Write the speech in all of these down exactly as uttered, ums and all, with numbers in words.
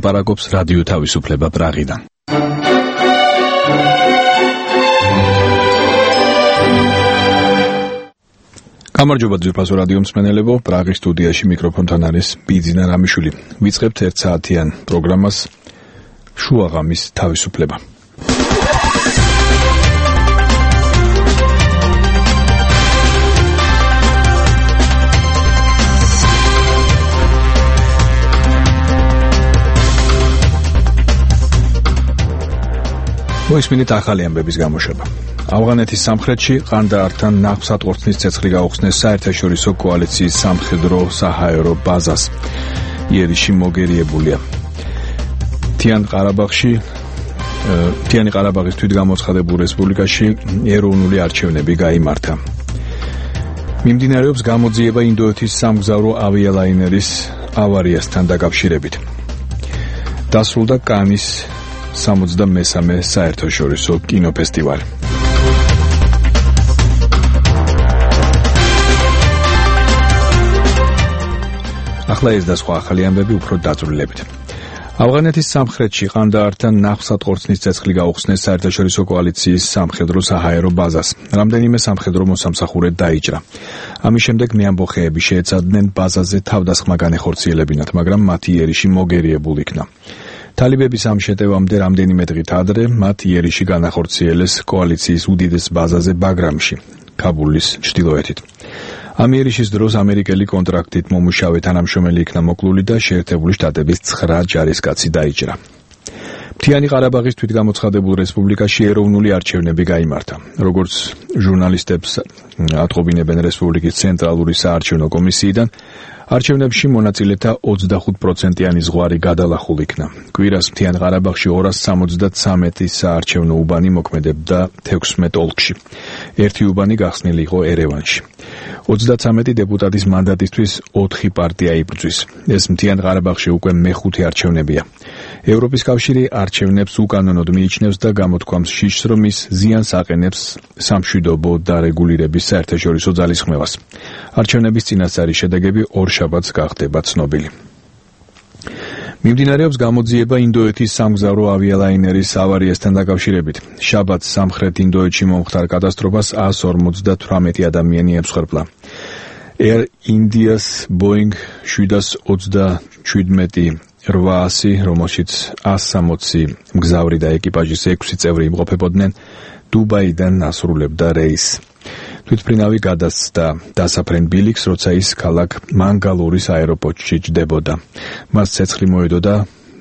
ლაპარაკობს რადიო თავისუფლება პრაღიდან. გამარჯობა ძვირფასო რადიო მსმენელებო, პრაღის სტუდიაში მიკროფონთან არის ბიძინა რამიშვილი. ვიწყებთ ერთ საათიან პროგრამას შუაღამის თავისუფლება. მოისმინეთ ახალი ამბების გამოშვება. ავღანეთის სამხრეთში ყანდაართან ნახვსატყორცნის ცეცხლი გაუხსნეს საერთაშორისო კოალიციის სამხედრო საჰაერო ბაზას. იერიში მოგერიებულია. თიან ყარაბაღში თიანი ყარაბაღის თვითგამოცხადებულ რესპუბლიკაში ეროვნული არჩევნები გაიმართა. მიმდინარეობს გამოძიება ინდოეთის სამგზავრო ავიალაინერის ავარიასთან დაკავშირებით. დასრულდა კანის სამოცდამესამე საერთაშორისო კინოფესტივალი. ახლა ეს და სხვა ახალი ამბები უფრო დაწვრილებით. ავღანეთის სამხრეთში ყანდაართან ნახვსატყორცნის ცეცხლი გაუხსნეს საერთაშორისო კოალიციის სამხედრო საჰაერო ბაზას. რამდენიმე სამხედრო მოსამსახურე დაიჭრა. ამის შემდეგ მეამბოხეები შეეცადნენ ბაზაზე თავდასხმა განეხორციელებინათ, მაგრამ მათი იერიში მოგერიებულ იქნა. თალიბების ამ შეტევამდე რამდენიმე დღით ადრე მათ იერიში განახორციელეს კოალიციის უდიდეს ბაზაზე ბაგრამში, ქაბულის ჩრდილოეთით. ამ იერიშის დროს ამერიკელი კონტრაქტით მომუშავე თანამშრომელი იქნა მოკლული და შეერთებული შტატების ცხრა ჯარისკაცი დაიჭრა. მთიანი ყარაბაღის თვითგამოცხადებულ რესპუბლიკაში ეროვნული არჩევნები გაიმართა. როგორც ჟურნალისტებს ატყობინებენ რესპუბლიკის ცენტრალური საარჩევნო კომისიიდან, არჩევნებში მონაწილეთა ოცდახუთ პროცენტიანი ზღვარი გადალახულ იქნა. კვირას მთიან ყარაბაღში ორას სამოცდათვრამეტი საარჩევნო უბანი მოქმედებდა თექვსმეტ ოლქში. ერთი უბანი გახსნილი იყო ერევანში. ოცდათვრამეტი დეპუტატის მანდატისთვის ოთხი პარტია იბრძვის. ეს მთიან ყარაბაღში უკვე მეხუთე არჩევნებია. ევროპის კავშირი არჩევნებს უკანონოდ მიიჩნევს და გამოთქვამს შიშს, რომ ის ზიანს აყენებს სამშვიდობო დარეგულირების საერთაშორისო ძალისხმევას. არჩევნების წინასწარი შედეგები ორშაბათს გახდება ცნობილი. მიმდინარეობს გამოძიება ინდოეთის სამგზავრო ავიალაინერის ავარიასთან დაკავშირებით. შაბათს სამხრეთ ინდოეთში მომხდარ კატასტროფას ას ორმოცდათვრამეტი ადამიანი ემსხვერპლა. Air India's Boeing შვიდას ოცდაშვიდმეტი რვაასი, რომელშიც ას სამოცი მგზავრი და ეკიპაჟის ექვსი წევრი იმყოფებოდნენ, დუბაიდან ასრულებდა რეისს. თვითმფრინავი გადასცდა დასაფრენ ბილიქს, როცა ის ქალაქ მანგალურის აეროპორტში ჯდებოდა. მას ცეცხლი მოედო და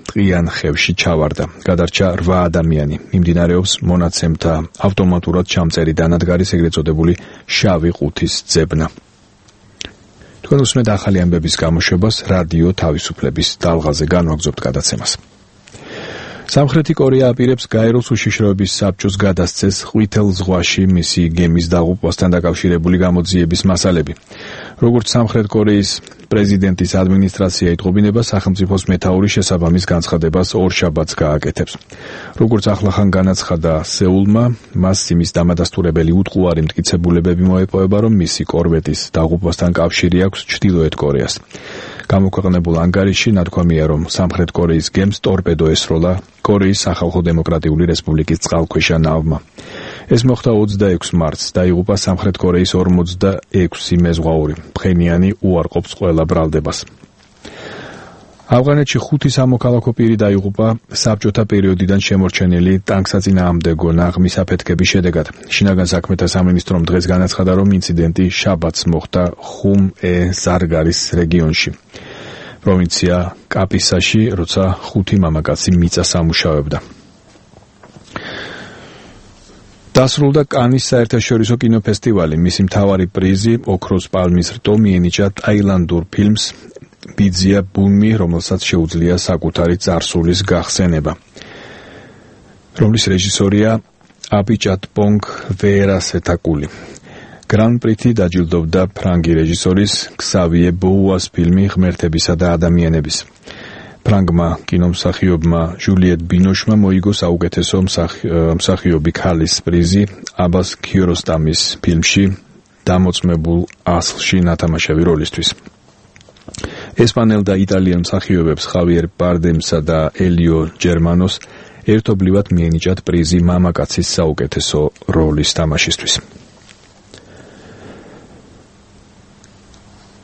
ტყიან ხევში ჩავარდა. გადარჩა რვა ადამიანი. მიმდინარეობს მონაცემთა ავტომატურად ჩამწერი დანადგარის ეგრეთ წოდებული შავი ყუთის ძებნა. თქვენ უსმენთ ახალი ამბების გამოშვებას რადიო თავისუფლების დალღაზე, განვაგრძობთ გადაცემას. სამხრეთი კორეა აპირებს გაეროს უშიშროების საბჭოს გადასცეს ყვითელ ზღვაში მისი გემის დაღუპვასთან დაკავშირებული გამოძიების მასალები. როგორც სამხრეთ კორეის პრეზიდენტის ადმინისტრაცია იტყობინება, სახელმწიფოს მეთაური შესაბამის განცხადებას ორშაბათს გააკეთებს. როგორც ახლახან განაცხადა სეულმა, მას იმის დამადასტურებელი უტყუარი მტკიცებულებები მოეპოვება, რომ მისი კორვეტის დაღუპვასთან კავშირი აქვს ჩრდილოეთ კორეას. გამოქვეყნებულ ანგარიშში ნათქვამია, რომ სამხრეთ კორეის გემს ტორპედო ესროლა კორეის სახალხო დემოკრატიული რესპუბლიკის წყალქვეშა ნავმა. ეს მოხდა ოცდაექვსი მარტს, დაიღუპა სამხრეთ კორეის ორმოცდაექვსი მეზღვაური. ფხენიანი უარყოფს ყველა ბრალდებას. ავღანეთში ხუთი სამოქალაქო პირი დაიღუპა საბჭოთა პერიოდიდან შემორჩენილი ტანკსაწინააღმდეგო ნაღმის აფეთქების შედეგად. შინაგან საქმეთა სამინისტრომ დღეს განაცხადა, რომ ინციდენტი შაბათს მოხდა ხუმ-ე-ზარგარის რეგიონში, პროვინცია კაპისაში, როცა ხუთი მამაკაცი მიწას ამუშავებდა. დასრულდა კანის საერთაშორისო კინოფესტივალი. მისი მთავარი პრიზი, ოქროს პალმის რტო, მიენიჭა ტაილანდურ ფილმს ბიძია ბუნმი, რომელსაც შეუძლია საკუთარი წარსულის გახსენება, რომლის რეჟისორია აპიჭატპონგ ვეერასეთაკული. გრან-პრითი დაჯილდოვდა ფრანგი რეჟისორის ქსავიე ბოუას ფილმი ღმერთებისა და ადამიანების. ფრანგმა კინომსახიობმა ჟულიეტ ბინოშმა მოიგო საუკეთესო მსახიობი ქალის პრიზი აბას ქიაროსტამის ფილმში დამოწმებულ ასლში ნათამაშები როლისთვის. ესპანელ და იტალიელ მსახიობებს ხავიერ ბარდემსა და ელიო ჯერმანოს ერთობლივად მიენიჭათ პრიზი მამაკაცის საუკეთესო როლის თამაშისთვის.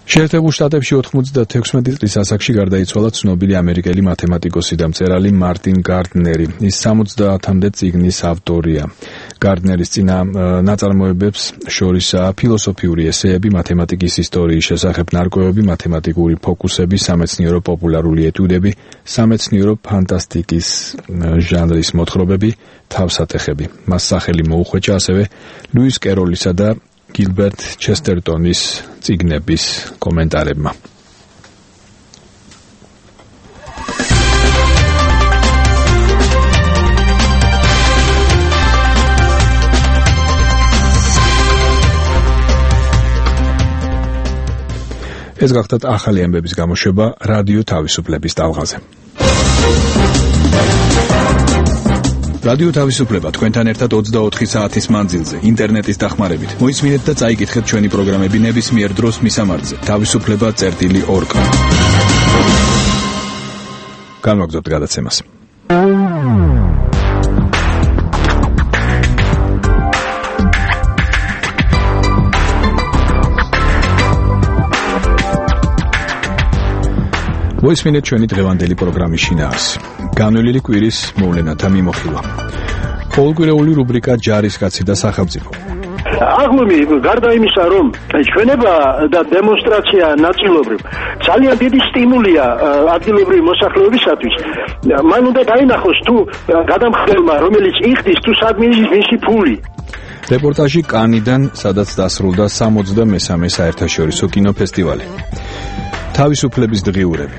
შეერთებულ შტატებში ოცდათექვსმეტი წლის ასაკში გარდაიცვალა ცნობილი ამერიკელი მათემატიკოსი და მწერალი მარტინ გარდნერი. ის სამოცდაათამდე წიგნის ავტორია. გარდნერის წინა ნაწარმოებებს შორისაა ფილოსოფიური ესეები, მათემატიკის ისტორიის შესახებ ნარკვევები, მათემატიკური ფოკუსები, სამეცნიერო პოპულარული ეტიუდები, სამეცნიერო ფანტასტიკის ჟანრის მოთხრობები, თავსატეხები. მას სახელი მოუხვეჭა ასევე ლუის კეროლისა და გილბერტ ჩესტერტონის წიგნების კომენტარებმა. ეს გახდათ ახალი ამბების გამოშვება რადიო თავისუფლების ტალღაზე. რადიო თავისუფლება თქვენთან ერთად ოცდაოთხი საათის მანძილზე ინტერნეტის დახმარებით. მოისმინეთ და წაიკითხეთ ჩვენი პროგრამები ნებისმიერ დროს მისამართზე თავისუფლება წერტილი ორ კა. განვაგრძობთ გადაცემას. მოისმინეთ ჩვენი დღევანდელი პროგრამის შინაარსი. განვლილი კვირის მოვლენათა მიმოხილვა. ყოველკვირეული რუბრიკა ჯარისკაცი და სახელმწიფო. აღლუმი გარდა იმისა, რომ ჩვენება და დემონსტრაცია ნაწილობრივ ძალიან დიდი სტიმულია ადგილობრივი მოსახლეობისათვის, მან უნდა დაინახოს თუ გადამხდელმა, რომელიც იხდის, თუ სადმე ის მისი ფული. რეპორტაჟი კანიდან, სადაც დასრულდა სამოცდამესამე საერთაშორისო კინოფესტივალი. თავისუფლების დღიურები.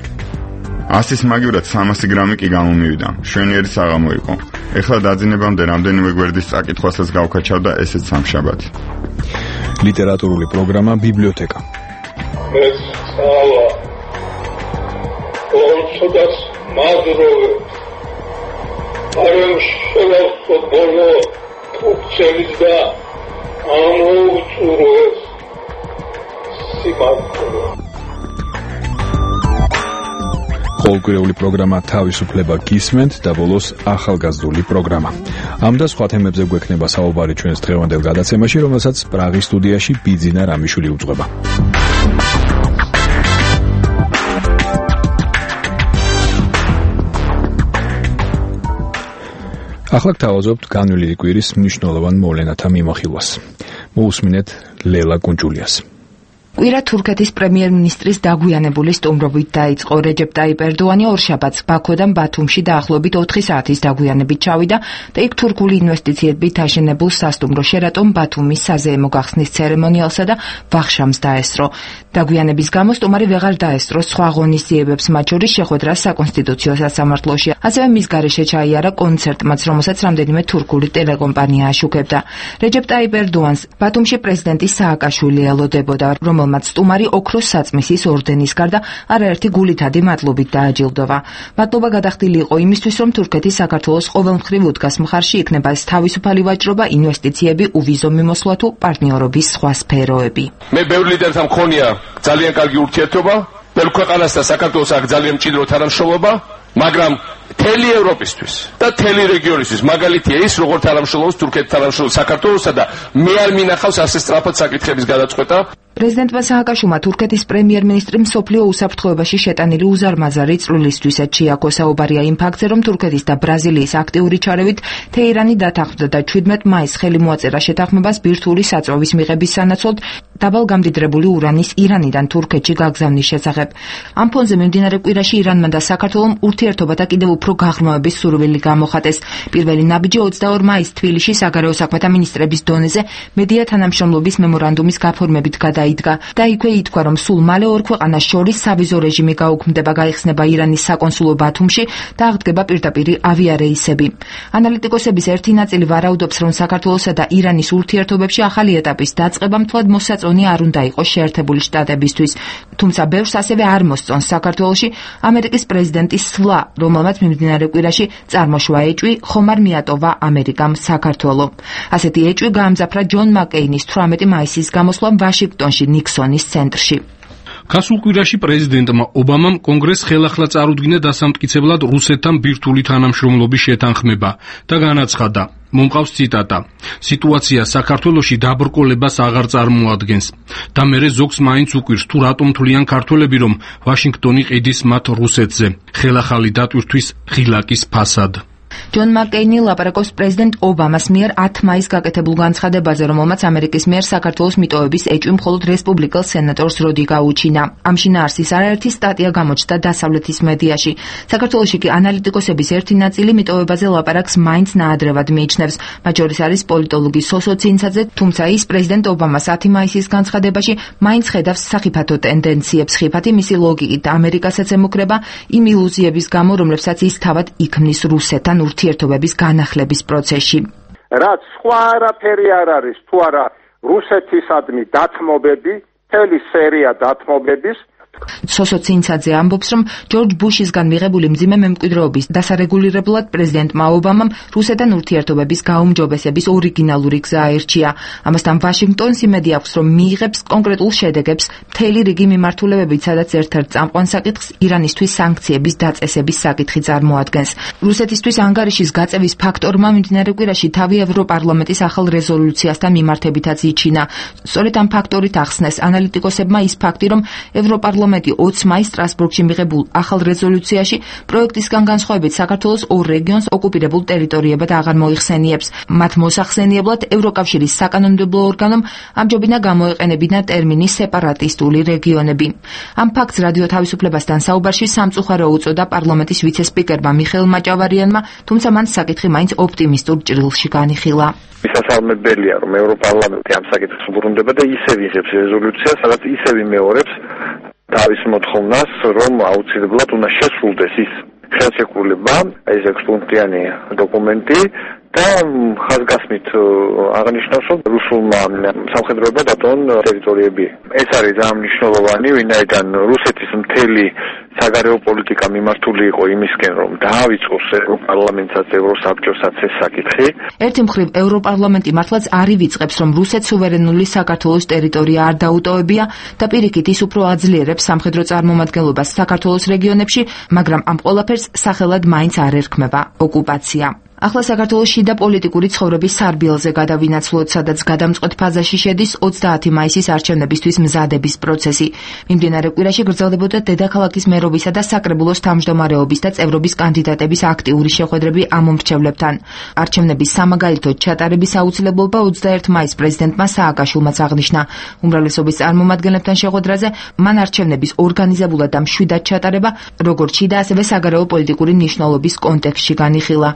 ასის მაგივრად სამასი გრამი კი გამომივიდა. შვენიერი საღამო იყო. ეხლა დაძინებამდე რამდენიმე გვერდის წაკითხვასაც გავქაჩავდა ესეც სამშაბათი. ლიტერატურული პროგრამა ბიბლიოთეკა. ეს სალა ორცოდას მადროვე არემ შევახო ბოლო კუქცელის და ამოუწუროს სიმართლე. ყოველკვირეული პროგრამა თავისუფლება გისმენთ და ბოლოს ახალგაზრდული პროგრამა. ამ და სხვა თემებზე გვექნება საუბარი ჩვენს დღევანდელ გადაცემაში, რომელსაც პრაღის სტუდიაში ბიძინა რამიშვილი უძღვება. ახლა გთავაზობთ განვლილი კვირის მნიშვნელოვან მოვლენათა მიმოხილვას. მოусმინეთ ლელა კუნჭულიას. კვირა თურქეთის პრემიერ-მინისტრის დაგვიანებული სტუმრობით დაიწყო. რეჯეპ ტაიპ ერდოანი ორშაბათს ბაქოდან ბათუმში დაახლოებით ოთხი საათის დაგვიანებით ჩავიდა და იქ თურქული ინვესტიციებით აშენებულ სასტუმრო შერატონ ბათუმის საზეიმო გახსნის ცერემონიალსა და ვახშამს დაესწრო. დაგვიანების გამო სტუმარი ვეღარ დაესწრო სხვა ღონისძიებებს, მათ შორის შეხვედრას საკონსტიტუციო სასამართლოში. ასევე მის გარეშე ჩაიარა კონცერტმაც, რომელსაც რამდენიმე თურქული ტელეკომპანია აშუქებდა. რეჯეპ ტაიპ ერდოანს ბათუმში პრეზიდენტი სააკაშვილი ელოდებოდა, რომელმაც სტუმარი ოქროს საწმისის ორდენის გარდა არაერთი გულითადი მადლობით დააჯილდოვა. მადლობა გადახდილი იყო იმისთვის, რომ თურქეთი საქართველოს ყოველმხრივ უდგას მხარში იქნება თავისუფალი ვაჭრობა, ინვესტიციები, უვიზო მიმოსვლა თუ პარტნიორობის სხვა სფეროები. მე ბევრ ლიდერთან მქონია ძალიან კარგი ურთიერთობა, ბევრ ქვეყანას და საქართველოს აქ ძალიან მჭიდრო თანამშრომლობა, მაგრამ მთელი ევროპისთვის და მთელი რეგიონისთვის მაგალითია ის, როგორც თანამშრომლობს თურქეთი თანამშრომლობს საქართველოსა და მე არ მინახავს ასე სწრაფად საკითხების გადაწყვეტა. პრეზიდენტმა სააკაშვილმა თურქეთის პრემიერ-მინისტრი მსოფლიო უსაფრთხოებაში შეტანილი უზარმაზარი წვლილისთვისაც შეაქო. საუბარია იმ ფაქტზე, რომ თურქეთის და ბრაზილიის აქტიური ჩარევით თეირანი დათანხმდა და ჩვიდმეტ მაისს ხელი მოაწერა შეთანხმებას ბირთვული საწვავის მიღების სანაცვლოდ დაბალგამდიდრებული ურანის ირანიდან თურქეთში გაგზავნის შესახებ. ამ ფონზე მიმდინარე კვირაში ირანმა და საქართველომ ურთიერთობათა კიდევ უფრო გაღრმავების სურვილი გამოხატეს. პირველი ნაბიჯი ოცდაორ მაისს თბილისში საგარეო საქმეთა მინისტრების დონეზე მედია თანამშრომლობის მემორანდუმის გაფორმებით გადაიდგა და იქვე ითქვა, რომ სულ მალე ორ ქვეყანას შორის სავიზო რეჟიმი გაუქმდება, გაიხსნება ირანის საკონსულო ბათუმში და აღდგება პირდაპირი ავიარეისები. ანალიტიკოსების ერთი ნაწილი ვარაუდობს, რომ საქართველოსა და ირანის ურთიერთობებში ახალი ეტაპის დაწყება მთლად მოსაწონი არ უნდა იყოს შეერთებული შტატებისთვის. თუმცა ბევრს ასევე არ მოსწონს საქართველოში ამერიკის პრეზიდენტის სვლა, რომელმაც მიმდინარე კვირაში წარმოშვა ეჭვი, ხომ არ მიატოვა ამერიკამ საქართველო. ასეთი ეჭვი გაამძაფრა ჯონ მაკეინის თვრამეტი მაისის გამოსვლამ ვაშინგტონში ნიქსონის ცენტრში. გასულ კვირაში პრეზიდენტმა ობამამ კონგრესს ხელახლა წარუდგინა დასამტკიცებლად რუსეთთან ბირთვული თანამშრომლობის შეთანხმება და განაცხადა: მომყავს ციტატა: სიტუაცია საქართველოში დაბრკოლებას აღარ წარმოადგენს და მერე ზოგს მაინც უკვირს თუ რატომ თვლიან ქართველები, რომ ვაშინგტონი ყიდის მათ რუსეთზე ხელახალი დატვირთვის ღილაკის ფასად. ჯონ მაკკეინი ლაპარაკობს პრეზიდენტ ობამას მიერ ათი მაისს გაკეთებულ განცხადებაზე, რომელმაც ამერიკის მიერ საქართველოს მიტოვების ეჭვი მხოლოდ რესპუბლიკელ სენატორს როდი გაუჩინა. ამ შინაარსის არაერთი სტატია გამოჩნდა დასავლეთის მედიაში. საქართველოში კი ანალიტიკოსების ერთი ნაწილი მიტოვებაზე ლაპარაკს მაინც ნაადრევად მიიჩნევს. მათ შორის არის პოლიტოლოგი სოსო ცინცაძე, თუმცა ის პრეზიდენტ ობამას ათი მაისის განცხადებაში მაინც ხედავს სახიფათო ტენდენციებს. ხიფათი მისი ლოგიკით ამერიკასაც ემუქრება იმ ილუზიების გამო, რომლებსაც ის თავად იქმნის რუსეთთან ურთიერთობების განახლების პროცესში. რაც სხვა არაფერი არ არის, თუ არა რუსეთისადმი დათმობები, მთელი სერია დათმობების. სოსო ცინცაძე ამბობს, რომ ჯორჯ ბუშისგან მიღებული მძიმე მემკვიდრეობის დასარეგულირებლად პრეზიდენტმა ობამამ რუსეთთან ურთიერთობების გაუმჯობესების ორიგინალური გზა აირჩია. ამასთან ვაშინგტონს იმედი აქვს, რომ მიიღებს კონკრეტულ შედეგებს მთელი რიგი მიმართულებებით, სადაც ერთ-ერთ წამყვან საკითხს ირანისთვის სანქციების დაწესების საკითხი წარმოადგენს. რუსეთისთვის ანგარიშის გაწევის ფაქტორმა მიმდინარე კვირაში თავი ევროპარლამენტის ახალ რეზოლუციასთან მიმართებითაც იჩინა. სწორედ ამ ფაქტორით ახსნეს ანალიტიკოსებმა ის ფაქტი, რომ ევროპარლამენტი ოცი მაისს სტრასბურგში მიღებულ ახალ რეზოლუციაში პროექტისგან განსხვავებით საქართველოს ორ რეგიონს ოკუპირებულ ტერიტორიებად აღარ მოიხსენიებს. მათ მოსახსენიებლად ევროკავშირის საკანონმდებლო ორგანომ ამჯობინა გამოეყენებინა ტერმინი სეპარატისტული რეგიონები. ამ ფაქტს რადიო თავისუფლებასთან საუბარში სამწუხარო უწოდა პარლამენტის ვიცე-სპიკერმა მიხეილ მაჭავარიანმა, თუმცა მან საკითხი მაინც ოპტიმისტურ ჭრილში განიხილა. მისასალმებელია, რომ ევროპარლამენტი ამ საკითხს უბრუნდება და ისევ იღებს რეზოლუციას, სადაც ისევ იმეორებს თავის მოთხოვნას, რომ აუცილებლად უნდა შესრულდეს ის ხელშეკრულება, ეს ექვსპუნქტიანი დოკუმენტი და ხაზგასმით აღნიშნავს, რომ რუსულმა სამხედროებმა დატოვონ ტერიტორიები. ეს არის ძალიან მნიშვნელოვანი, ვინაიდან რუსეთის მთელი საგარეო პოლიტიკა მიმართული იყო იმისკენ, რომ დაავიწყოს ევროპარლამენტსაც, ევროსაბჭოსაც ეს საკითხი. ერთი მხრივ ევროპარლამენტი მართლაც არ ივიწყებს, რომ რუსეთს სუვერენული საქართველოს ტერიტორია არ დაუტოვებია და პირიქით ის უფრო აძლიერებს სამხედრო წარმომადგენლობას საქართველოს რეგიონებში, მაგრამ ამ ყველაფერს სახელად მაინც არ ერქმება ოკუპაცია. ახლა საქართველოს შიდა პოლიტიკური ცხოვრების სარბიელზე გადავინაცვლოთ, სადაც გადამწყვეტ ფაზაში შედის ოცდაათი მაისის არჩევნებისთვის მზადების პროცესი. მიმდინარე კვირაში გრძელდებოდა დედაქალაქის მერობისა და საკრებულოს თავმჯდომარეობის და წევრობის კანდიდატების აქტიური შეხვედრები ამომრჩევლებთან. არჩევნების სამაგალითოდ ჩატარების აუცილებლობა ოცდაერთი მაისს პრეზიდენტმა სააკაშვილმაც აღნიშნა. უმრავლესობის წარმომადგენლებთან შეხვედრაზე მან არჩევნების ორგანიზებულად და მშვიდად ჩატარება, როგორც შიდა, ასევე საგარეო პოლიტიკური მნიშვნელობის კონტექსტში განიხილა.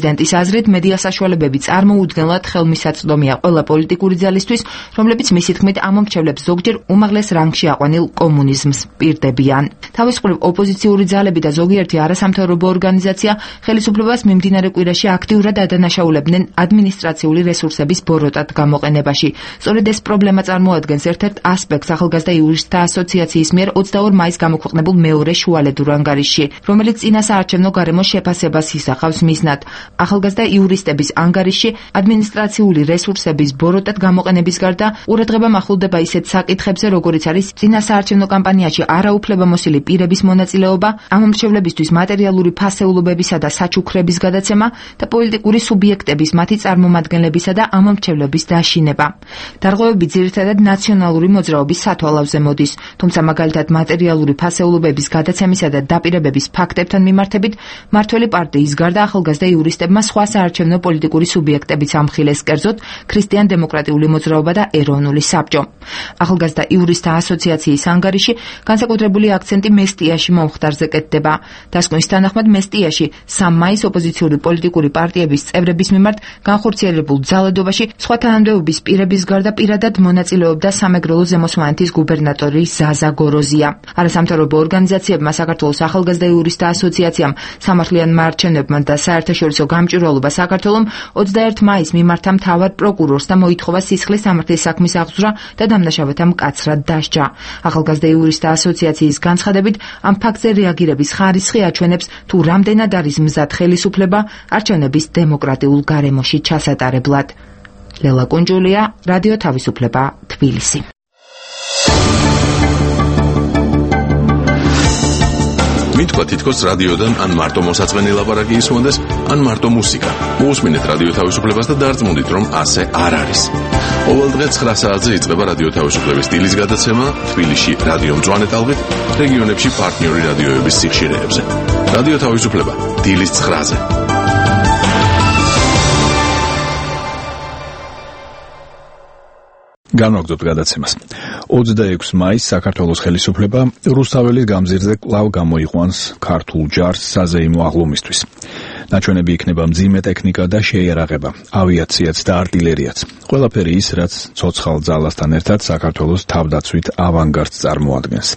პრეზიდენტის აზრით, მედია საშუალებები წარმოუდგენლად ხელმისაწვდომია ყველა პოლიტიკური ძალისთვის, რომლებიც მისი თქმით ამომრჩევლებს ზოგჯერ უმაღლეს რანგში აყვანილ კომუნიზმს პირდებიან. თავის მხრივ ოპოზიციური ძალები და ზოგიერთი არასამთავრობო ორგანიზაცია ხელისუფლებას მიმდინარე კვირაში აქტიურად ადანაშაულებდნენ ადმინისტრაციული რესურსების ბოროტად გამოყენებაში. სწორედ ეს პრობლემა წარმოადგენს ერთ-ერთ ასპექტს ახალგაზრდა იურისტთა ასოციაციის მიერ ოცდაორ მაისს გამოქვეყნებულ მეორე შუალედურ ანგარიშში, რომელიც წინასაარჩევნო გარემოს შეფასებას ისახავს მიზნად. ახალგაზრდა იურისტების ანგარიშში ადმინისტრაციული რესურსების ბოროტად გამოყენების გარდა ყურადღება მახვილდება ისეთ საკითხებზე, როგორიც არის წინასაარჩევნო კამპანიაში არაუფლებამოსილი პირების მონაწილეობა, ამომრჩევლებისთვის მატერიალური ფასეულობებისა და საჩუქრების გადაცემა და პოლიტიკური სუბიექტების, მათი წარმომადგენლებისა და ამომრჩევლების დაშინება. დარღვევები ძირითადად ნაციონალური მოძრაობის სათვალავზე მოდის, თუმცა მაგალითად მატერიალური ფასეულობების გადაცემისა და დაპირებების ფაქტებთან მიმართებით მმართველი პარტიის გარდა ახალგაზრდა იურისტებმა სხვა საარჩევნო პოლიტიკური სუბიექტებიც ამხილეს, კერძოდ ქრისტიან-დემოკრატიული მოძრაობა და ეროვნული საბჭო. ახალგაზრდა იურისტთა ასოციაციის ანგარიში განსაკუთრებული აქცენტი მესტიაში მომხდარზე კეთდება. დასკვნის თანახმად მესტიაში სამი მაისს ოპოზიციური პოლიტიკური პარტიების წევრების მიმართ განხორციელებულ ძალადობაში სხვა თანამდებობის პირების გარდა პირადად მონაწილეობდა სამეგრელო ზემოსვანეთის გუბერნატორი ზაზა გოროზია. არასამთავრობო ორგანიზაციებმა საქართველოს ახალგაზრდა იურისტთა ასოციაციამ, სამართლიანმა არჩევნებმა და საერთაშორისო გამჭვირვალობა საქართველომ ოცდაერთი მაისს მიმართა მთავარ პროკურორს და მოითხოვა სისხლის სამართლის საქმის აღძვრა და დამნაშავეთა მკაცრად დასჯა. ახალგაზრდა იურისტთა ასოციაციის განცხადებით, ამ ფაქტზე რეაგირების ხარისხი აჩვენებს, თუ რამდენად არის მზად ხელისუფლება არჩევნების დემოკრატიულ გარემოში ჩასატარებლად. ლელა კუნჯულია, რადიო თავისუფლება, თბილისი. შეიძლება თითქოს რადიოდან ან მარტო მოსაწყენი ლაპარაკი ისმოდეს, ან მარტო მუსიკა. მოусმინეთ რადიო თავისუფლებას და დარწმუნდით, რომ ასე არ არის. ყოველ დღე ცხრა საათზე იწყება რადიო თავისუფლების დილის გადაცემა თბილისში რადიო მწვანე ტალღით, რეგიონებში პარტნიორი რადიოების სიხშირეებზე. რადიო თავისუფლება დილის ცხრაზე. განვაგრძობთ გადაცემას. ოცდაექვსი მაისს საქართველოს ხელისუფლება რუსთაველის გამზირზე კვლავ გამოიყვანს ქართულ ჯარს საზეიმო აღლუმისთვის. ნაჩვენები იქნება მძიმე ტექნიკა და შეიარაღება, ავიაციაც და артиლერიაც. ყველაფერი ის, რაც ცოცხალ ძალასთან ერთად საქართველოს თავდაცვით ავანგარდს წარმოადგენს.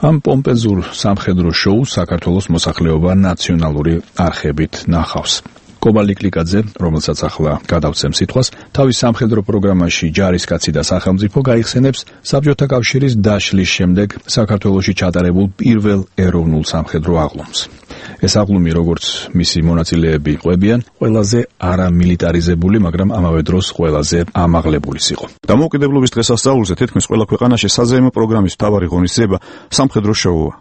ამ პომპეზურ სამხედრო შოუს საქართველოს მოსახლეობა ნაციონალური არხებით ნახავს. კობალიკლიკაძე, რომელსაც ახლა გადავცემ სიტყვას, თავის სამხედრო პროგრამაში ჯარისკაცი და სახელმწიფო გაიხსენებს საბჭოთა კავშირის დაშლის შემდეგ საქართველოში ჩატარებულ პირველ ეროვნულ სამხედრო აღლუმს. ეს აღლუმი, როგორც მისი მონაწილეები ყვებიან, ყველაზე არამილიტარიზებული, მაგრამ ამავე დროს ყველაზე ამაღლებული იყო. დამოუკიდებლობის დღესასწაულზე თითქმის ყველა ქვეყანაში საზეიმო პროგრამის მთავარი ღონისძიება სამხედრო შოუა.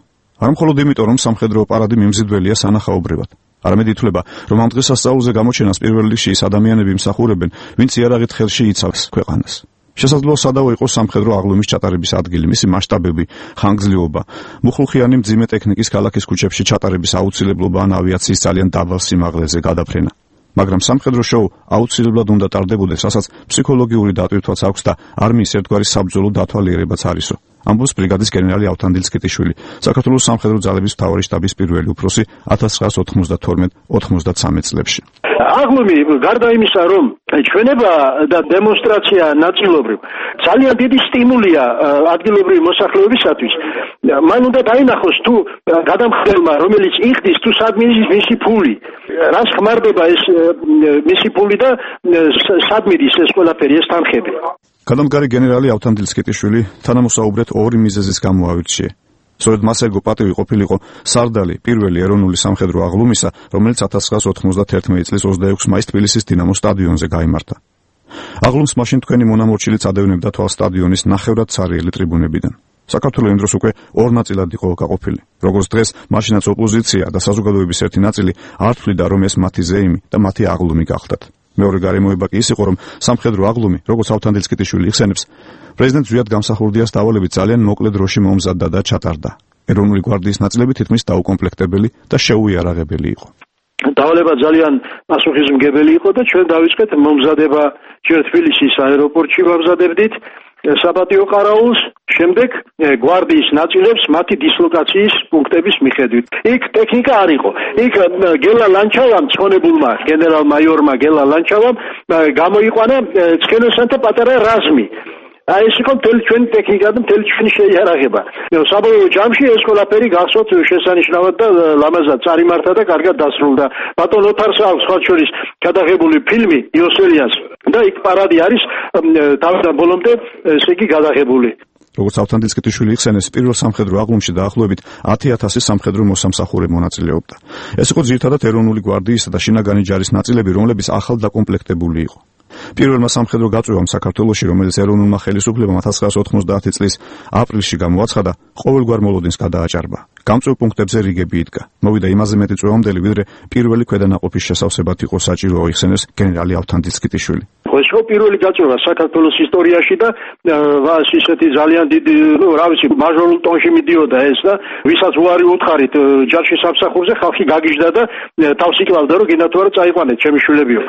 არ მხოლოდ იმიტომ, რომ სამხედრო პარადი მიმზიდველია სანახაობრივად. არამედ ითვლება, რომ ამ დღესასწაულზე გამოჩენას პირველ რიგში ის ადამიანები იმსახურებენ, ვინც იარაღით ხელში იცავს ქვეყანას. შესაძლოა სადავო იყოს სამხედრო აღლუმის ჩატარების ადგილი, მისი მასშტაბები, ხანგრძლივობა, მუხლუხიანი მძიმე ტექნიკის ქალაქის ქუჩებში ჩატარების აუცილებლობა ან ავიაციის ძალიან დაბალ სიმაღლეზე გადაფრენა. მაგრამ სამხედრო შოუ აუცილებლად უნდა ტარდებოდეს, რასაც ფსიქოლოგიური დატვირთვაც აქვს და არმიის ერთგვარი საბრძოლო დათვალიერებაც არისო. ამბობს ბრიგადის გენერალი ავთანდილ სკიტიშვილი, საქართველოს სამხედრო ძალების მთავარი შტაბის პირველი უფროსი ათას ცხრაას ოთხმოცდათორმეტ ოცდაათი წლებში. აღლუმი გარდა იმისა, რომ ჩვენება და დემონსტრაცია ნაწილობრივ ძალიან დიდი სტიმულია ადგილობრივი მოსახლეობისათვის, მან უნდა დაინახოს თუ გადამხდელმა, რომელიც იხდის, თუ სად მიდის მისი ფული, რას ხმარდება ეს მისი ფული და სად მიდის ეს ყველაფერი, ეს თანხები. გადამდგარი გენერალი ავთანდილ სკიტიშვილი თანამოსაუბრეთ ორი მიზეზის გამო ავირჩიე. სწორედ მას ერგო პატივი ყოფილიყო სარდალი პირველი ეროვნული სამხედრო აღლუმისა, რომელიც ათას ცხრაას ოცდაათი წლის ოცდაექვსი მაისს თბილისის დინამო სტადიონზე გაიმართა. აღლუმს მაშინ თქვენი მონამორჩილიც ადევნებდა თვალ სტადიონის ნახევრად ცარიელი ტრიბუნებიდან. საქართველოს იმ დროს უკვე ორ ნაწილად იყო გაყოფილი. როგორც დღეს, მაშინაც ოპოზიცია და საზოგადოების ერთი ნაწილი არ თვლიდა, რომ ეს მათი ზეიმი და მათი აღლუმი გახდათ. მეორე გარემოება კი ის იყო, რომ სამხედრო აღლუმი, როგორც ავთანდილ სკიტიშვილი იხსენებს, პრეზიდენტ ზვიად გამსახურდიას დავალებით ძალიან მოკლე დროში მომზადდა და ჩატარდა. ეროვნული გვარდიის ნაწილები თითქმის დაუკომპლექტებელი და შეუიარაღებელი იყო. დავალება ძალიან პასუხისმგებელი იყო და ჩვენ დავიწყეთ მომზადება ჯერ თბილისის აეროპორტში ვამზადებდით საპატიო ყარაულს, შემდეგ გვარდიის ნაწილებს მათი დისლოკაციის პუნქტების მიხედვით. იქ ტექნიკა არ იყო. იქ გელა ლანჩავამ, ცხონებულმა გენერალ-მაიორმა გელა ლანჩავამ გამოიყვანა ცხენოსანთა პატარა რაზმი. აი ეს იყო მთელი ჩვენი ტექნიკა და მთელი ჩვენი შეიარაღება. საბოლოო ჯამში ეს ყველაფერი გახსოვთ შესანიშნავად და ლამაზად წარიმართა და კარგად დასრულდა. ბატონ ოთარს აქვს სხვა შორის გადაღებული ფილმი იოსელიანს და იქ პარადი არის თავიდან ბოლომდე ესე იგი გადაღებული. როგორც ავთანდილ სკიტიშვილი იხსენეს, პირველ სამხედრო აღლუმში დაახლოებით ათი ათასი სამხედრო მოსამსახურე მონაწილეობდა. ეს იყო ძირითადად ეროვნული გვარდიისა და შინაგანი ჯარის ნაწილები, რომლებიც ახალ დაკომპლექტებული იყო. პირველმა სამხედრო გაწვევამ საქართველოში, რომელიც ეროვნულმა ხელისუფლებამ ათას ცხრაას ოცდაათი წლის აპრილში გამოაცხადა, ყოველგვარ მოლოდინს გადააჭარბა. გამწვევ პუნქტებზე რიგები იდგა. მოვიდა იმაზე მეტი წვევამდელი, ვიდრე პირველი ქვედანაყოფის შესავსებად იყო საჭირო, იხსენეს გენერალი ავთანდილ სკიტიშვილი. ეს იყო პირველი გაწევა საქართველოს ისტორიაში და ვას ისეთი ძალიან დიდი, ну, რა ვიცი, მაჟორულ ტონში მიდიოდა ეს და ვისაც უარი უთხარით ჯარში სამსახურზე, ხალხი გაგიჟდა და თავს იკლავდა, რომ გინდათ თუ არა წაიყვანეთ ჩემი შვილებიო.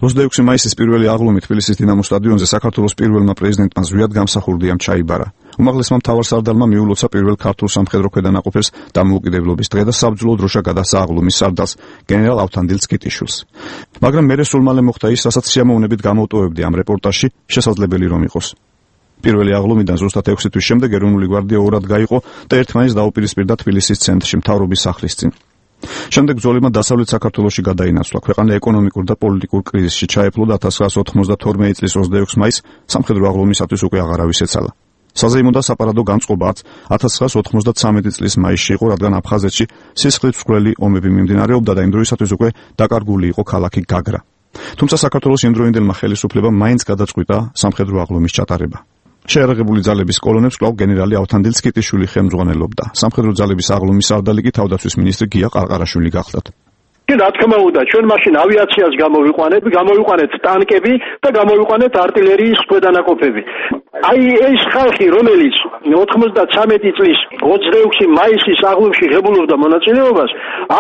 ოცდაექვსი მაისის პირველი აღლუმი თბილისის დინამო სტადიონზე საქართველოს პირველმა პრეზიდენტმა ზვიად გამსახურდიამ ჩაიბარა. უმაღლესმა მთავარსარდალმა მიულოცა პირველ ქართულ სამხედრო ქვედანაყოფებს დამოუკიდებლობის დღე და საბრძოლო დროშა გადასცა აღლუმის სარდალს გენერალ ავთანდილ სკიტიშვილს. მაგრამ მერე სულ მალე მოხდა ის, რასაც სიამოვნებით გამოვტოვებდი ამ რეპორტაჟში, შესაძლებელი რომ იყოს. პირველი აღლუმიდან ზუსტად ექვსი თვის შემდეგ ეროვნული გვარდია ორად გაიყო და ერთმანეთს დაუპირისპირდა თბილისის ცენტრში მთავრობის სახლის წინ. შემდეგ ბრძოლებმა დასავლეთ საქართველოში გადაინაცვლა. ქვეყანა ეკონომიკურ და პოლიტიკურ კრიზისში ჩაეფლო და ათას ცხრაას ოცდათორმეტი წლის ოცდაექვსი მაისს სამხედრო აღლუმისათვის უკვე აღარავის ეცალა. საზეიმო და საპარადო განწყობაც ათას ცხრაას ოცდათვრამეტი წლის მაისში იყო, რადგან აფხაზეთში სისხლით მსხვილი ომები მიმდინარეობდა და იმ დროისათვის უკვე დაკარგული იყო ქალაქი გაგრა. თუმცა საქართველოს იმდროინდელმა ხელისუფლებამ მაინც გადაწყვიტა სამხედრო აღლუმის ჩატარება. შეერაღებული ძალების კოლონებს კვლავ გენერალი ავთანდილ სკიტიშვილი ხელმძღვანელობდა. სამხედრო ძალების აღლუმის სარდალი კი თავდაცვის მინისტრი გია ყარყარაშვილი გახლდათ. რა თქმა უნდა, ჩვენ მაშინ ავიაციას გამოვიყვანეთ, გამოვიყვანეთ ტანკები და გამოვიყვანეთ артиლერიის ქვედანაყოფები. აი ეს ხალხი, რომელიც ოთხმოცდათრამეტი წლის ოცდაექვსი მაისის აღლუმში ღებულობდა მონაწილეობას,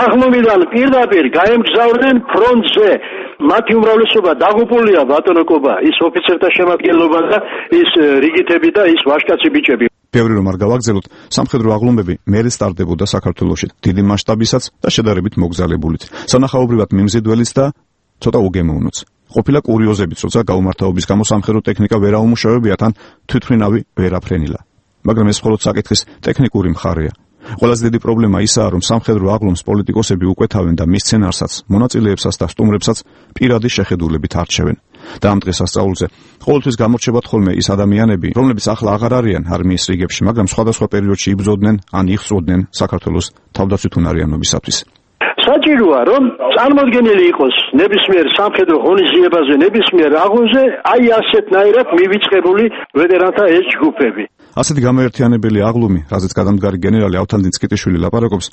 აღლუმიდან პირდაპირ გაემგზავრნენ ფრონტზე. მათი უმრავლესობა დაღუპულია ბატონოკობა, ის ოფიცერთა შემადგენლობა და ის რიგითები და ის ვაჟკაცი ბიჭები. ბევრი რომ არ გავაგზავნოთ, სამხედრო აღლუმები მერე სტარდებოდა საქართველოში, დიდი მასშტაბისაც და შედარებით მოგზალებულით, სანახაობრივად მიმზიდველიც და ცოტა უგემოვნოც. ყოფილა კურიოზებიც, როცა გაუმართავობის გამო სამხედრო ტექნიკა ვერ აუმუშავებია, თან თვითმფრინავი ვერ აფრენილა. მაგრამ ეს მხოლოდ საკითხის ტექნიკური მხარეა. ყველაზე დიდი პრობლემა ისაა, რომ სამხედრო აღლუმს პოლიტიკოსები უკვეთავენ და მის სცენარსაც, მონაწილეებსაც და სტუმრებსაც პირადი შეხედულებით არჩევენ. და ამ დღეს ასწაულზე ყოველთვის გამორჩებათ ხოლმე ის ადამიანები, რომლებიც ახლა აღარ არიან არმიის რიგებში, მაგრამ სხვადასხვა პერიოდში იბრძოდნენ ან იხსროდნენ საქართველოს თავდაცვით უნარიანობისათვის. საჭიროა, რომ წარმოდგენილი იყოს ნებისმიერ სამხედრო ღონისძიებაზე, ნებისმიერ აღლუმზე, აი ასეთნაირად მივიწყებული ვეტერანთა ეს ჯგუფები. ასეთი გამოერთიანებელი აღლუმი, რაზეც გადამდგარი გენერალი ავთანდილ სკიტიშვილი ლაპარაკობს,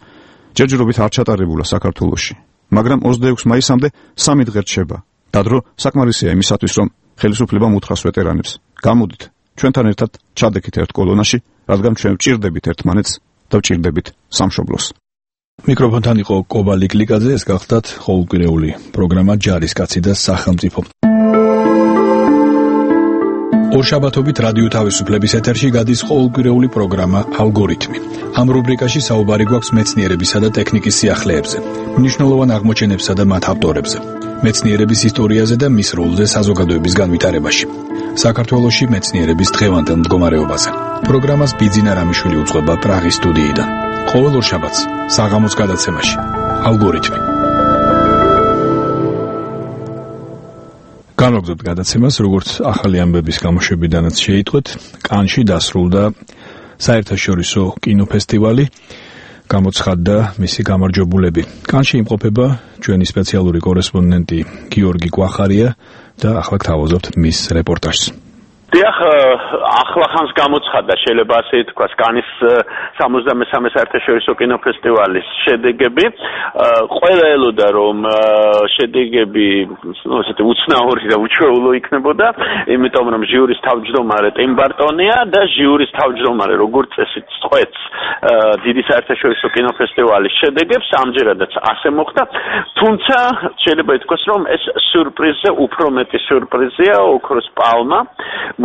ჯერჯერობით არ ჩატარებულა საქართველოში, მაგრამ ოცდაექვსი მაისამდე სამი დღე რჩება. დადრო საკმარისია იმისათვის, რომ ხელისუფლება მოუთხრას ვეტერანებს. გამოდით, ჩვენთან ერთად ჩადექით ერთ კოლონაში, რადგან ჩვენ ვჭირდებით ერთმანეთს და ვჭირდებით სამშობლოს. მიკროფონთან იყო კობა ლიკლიკაძე, ეს გახლდათ ყოველკვირეული პროგრამა ჯარისკაცი და სახელმწიფო. ორშაბათობით რადიო თავისუფლების ეთერში გადის ყოველკვირეული პროგრამა ალგორითმი. ამ რუბრიკაში საუბარი გვაქვს მეცნიერებისა და ტექნიკის სიახლეებზე, მნიშვნელოვან აღმოჩენებსა და მათ ავტორებზე, მეცნიერების ისტორიაზე და მის როლზე საზოგადოების განვითარებაში. საქართველოში მეცნიერების დღევანდელ მდგომარეობაზე. პროგრამას ბიძინა რამიშვილი უძღვება პრაღის სტუდიიდან. ყოველ ორშაბათს საღამოს გადაცემაში ალგორითმი. განვაგრძობთ გადაცემას, როგორც ახალი ამბების გამოშვებიდანაც შეიტყვეთ, კანში დასრულდა საერთაშორისო კინოფესტივალი, გამოცხადდა მისი გამარჯვებულები. კანში იმყოფება ჩვენი სპეციალური კორესპონდენტი გიორგი კვახარია და ახლა გთავაზობთ მის რეპორტაჟს. დიახ, ახლა ხანს გამოცხადდა, შეიძლება ასე ითქვას, კანის სამოცდამესამე საერთაშორისო კინოფესტივალის შედეგები. ყველა ელოდა, რომ შედეგები, ну, ესეთი უცნაური და უჩვეულო იქნებოდა, იმიტომ რომ ჟიურის თავმჯდომარე ტიმ ბარტონია და ჟიურის თავმჯდომარე როგორც წესით წყვეტს დიდი საერთაშორისო კინოფესტივალის შედეგებს, ამჯერადაც ასე მოხდა. თუმცა შეიძლება ითქვას, რომ ეს სიურპრიზზე უფრო მეტი სიურპრიზია, ოქროს პალმა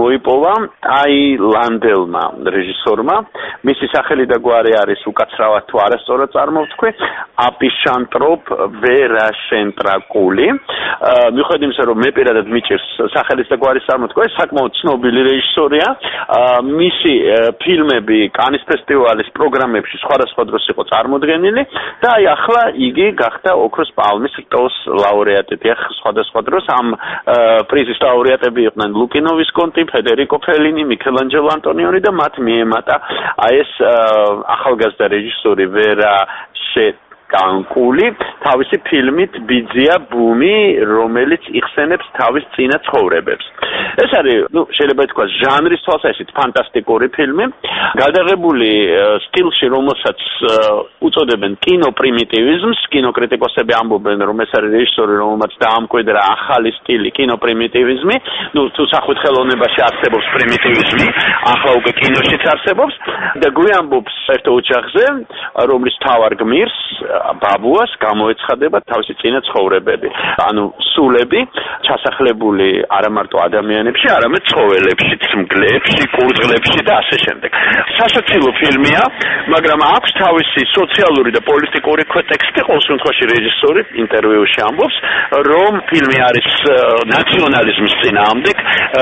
მოიპოვა ტაილანდელმა რეჟისორმა. მისი სახელი და გვარი არის უკაცრავად თუ არასწორად წარმოვთქვი, აპიშანტროპ ვერაშენტრაკული. მიუხედავად იმისა, რომ მე პირადად მიჭირს სახელის და გვარის წარმოთქვა, ეს საკმაოდ ცნობილი რეჟისორია. მისი ფილმები კანის ფესტივალის პროგრამებში სხვადასხვა დროს იყო წარმოდგენილი და აი ახლა იგი გახდა ოქროს პალმის რტოს ლაურეატი. დიახ, სხვადასხვა დროს ამ პრიზის ლაურეატები იყვნენ ლუკინო ვისკონტი, ფედერიკო ფელინი, მიქელანჯელო ანტონიონი და მათ მიემატა აი ეს ახალგაზრდა რეჟისორი ვერა კანკული თავისი ფილმით ბიძია ბუმი, რომელიც იხსენებს თავის წინა ცხოვრებებს. ეს არის, ну, შეიძლება ითქვას, ჟანრის თვალსაზრისით ფანტასტიკური ფილმი, გადაღებული სტილში, რომელსაც უწოდებენ კინოპრიმიტივიზმს. კინოკრიტიკოსები ამბობენ, რომ ეს არის რეჟისორი, რომელმაც დაამკვიდრა ახალი სტილი კინოპრიმიტივიზმი. ну, თუ სახვით ხელოვნებაში არსებობს პრიმიტივიზმი, ახლა უკვე კინოშიც არსებობს და გვიამბობს ერთ ოჯახზე, რომლის მთავარ გმირს ბაბუას გამოეცხადება თავისი წინა ცხოვრებები. ანუ სულები ჩასახლებული არა მარტო ადამიანებში, არამედ ცხოველებშიც, მგლებში, კურდღლებში და ასე შემდეგ. სასაცილო ფილმია, მაგრამ აქვს თავისი სოციალური და პოლიტიკური კონტექსტი. ყოველ შემთხვევაში რეჟისორი ინტერვიუში ამბობს, რომ ფილმი არის ნაციონალიზმის წინააღმდეგ,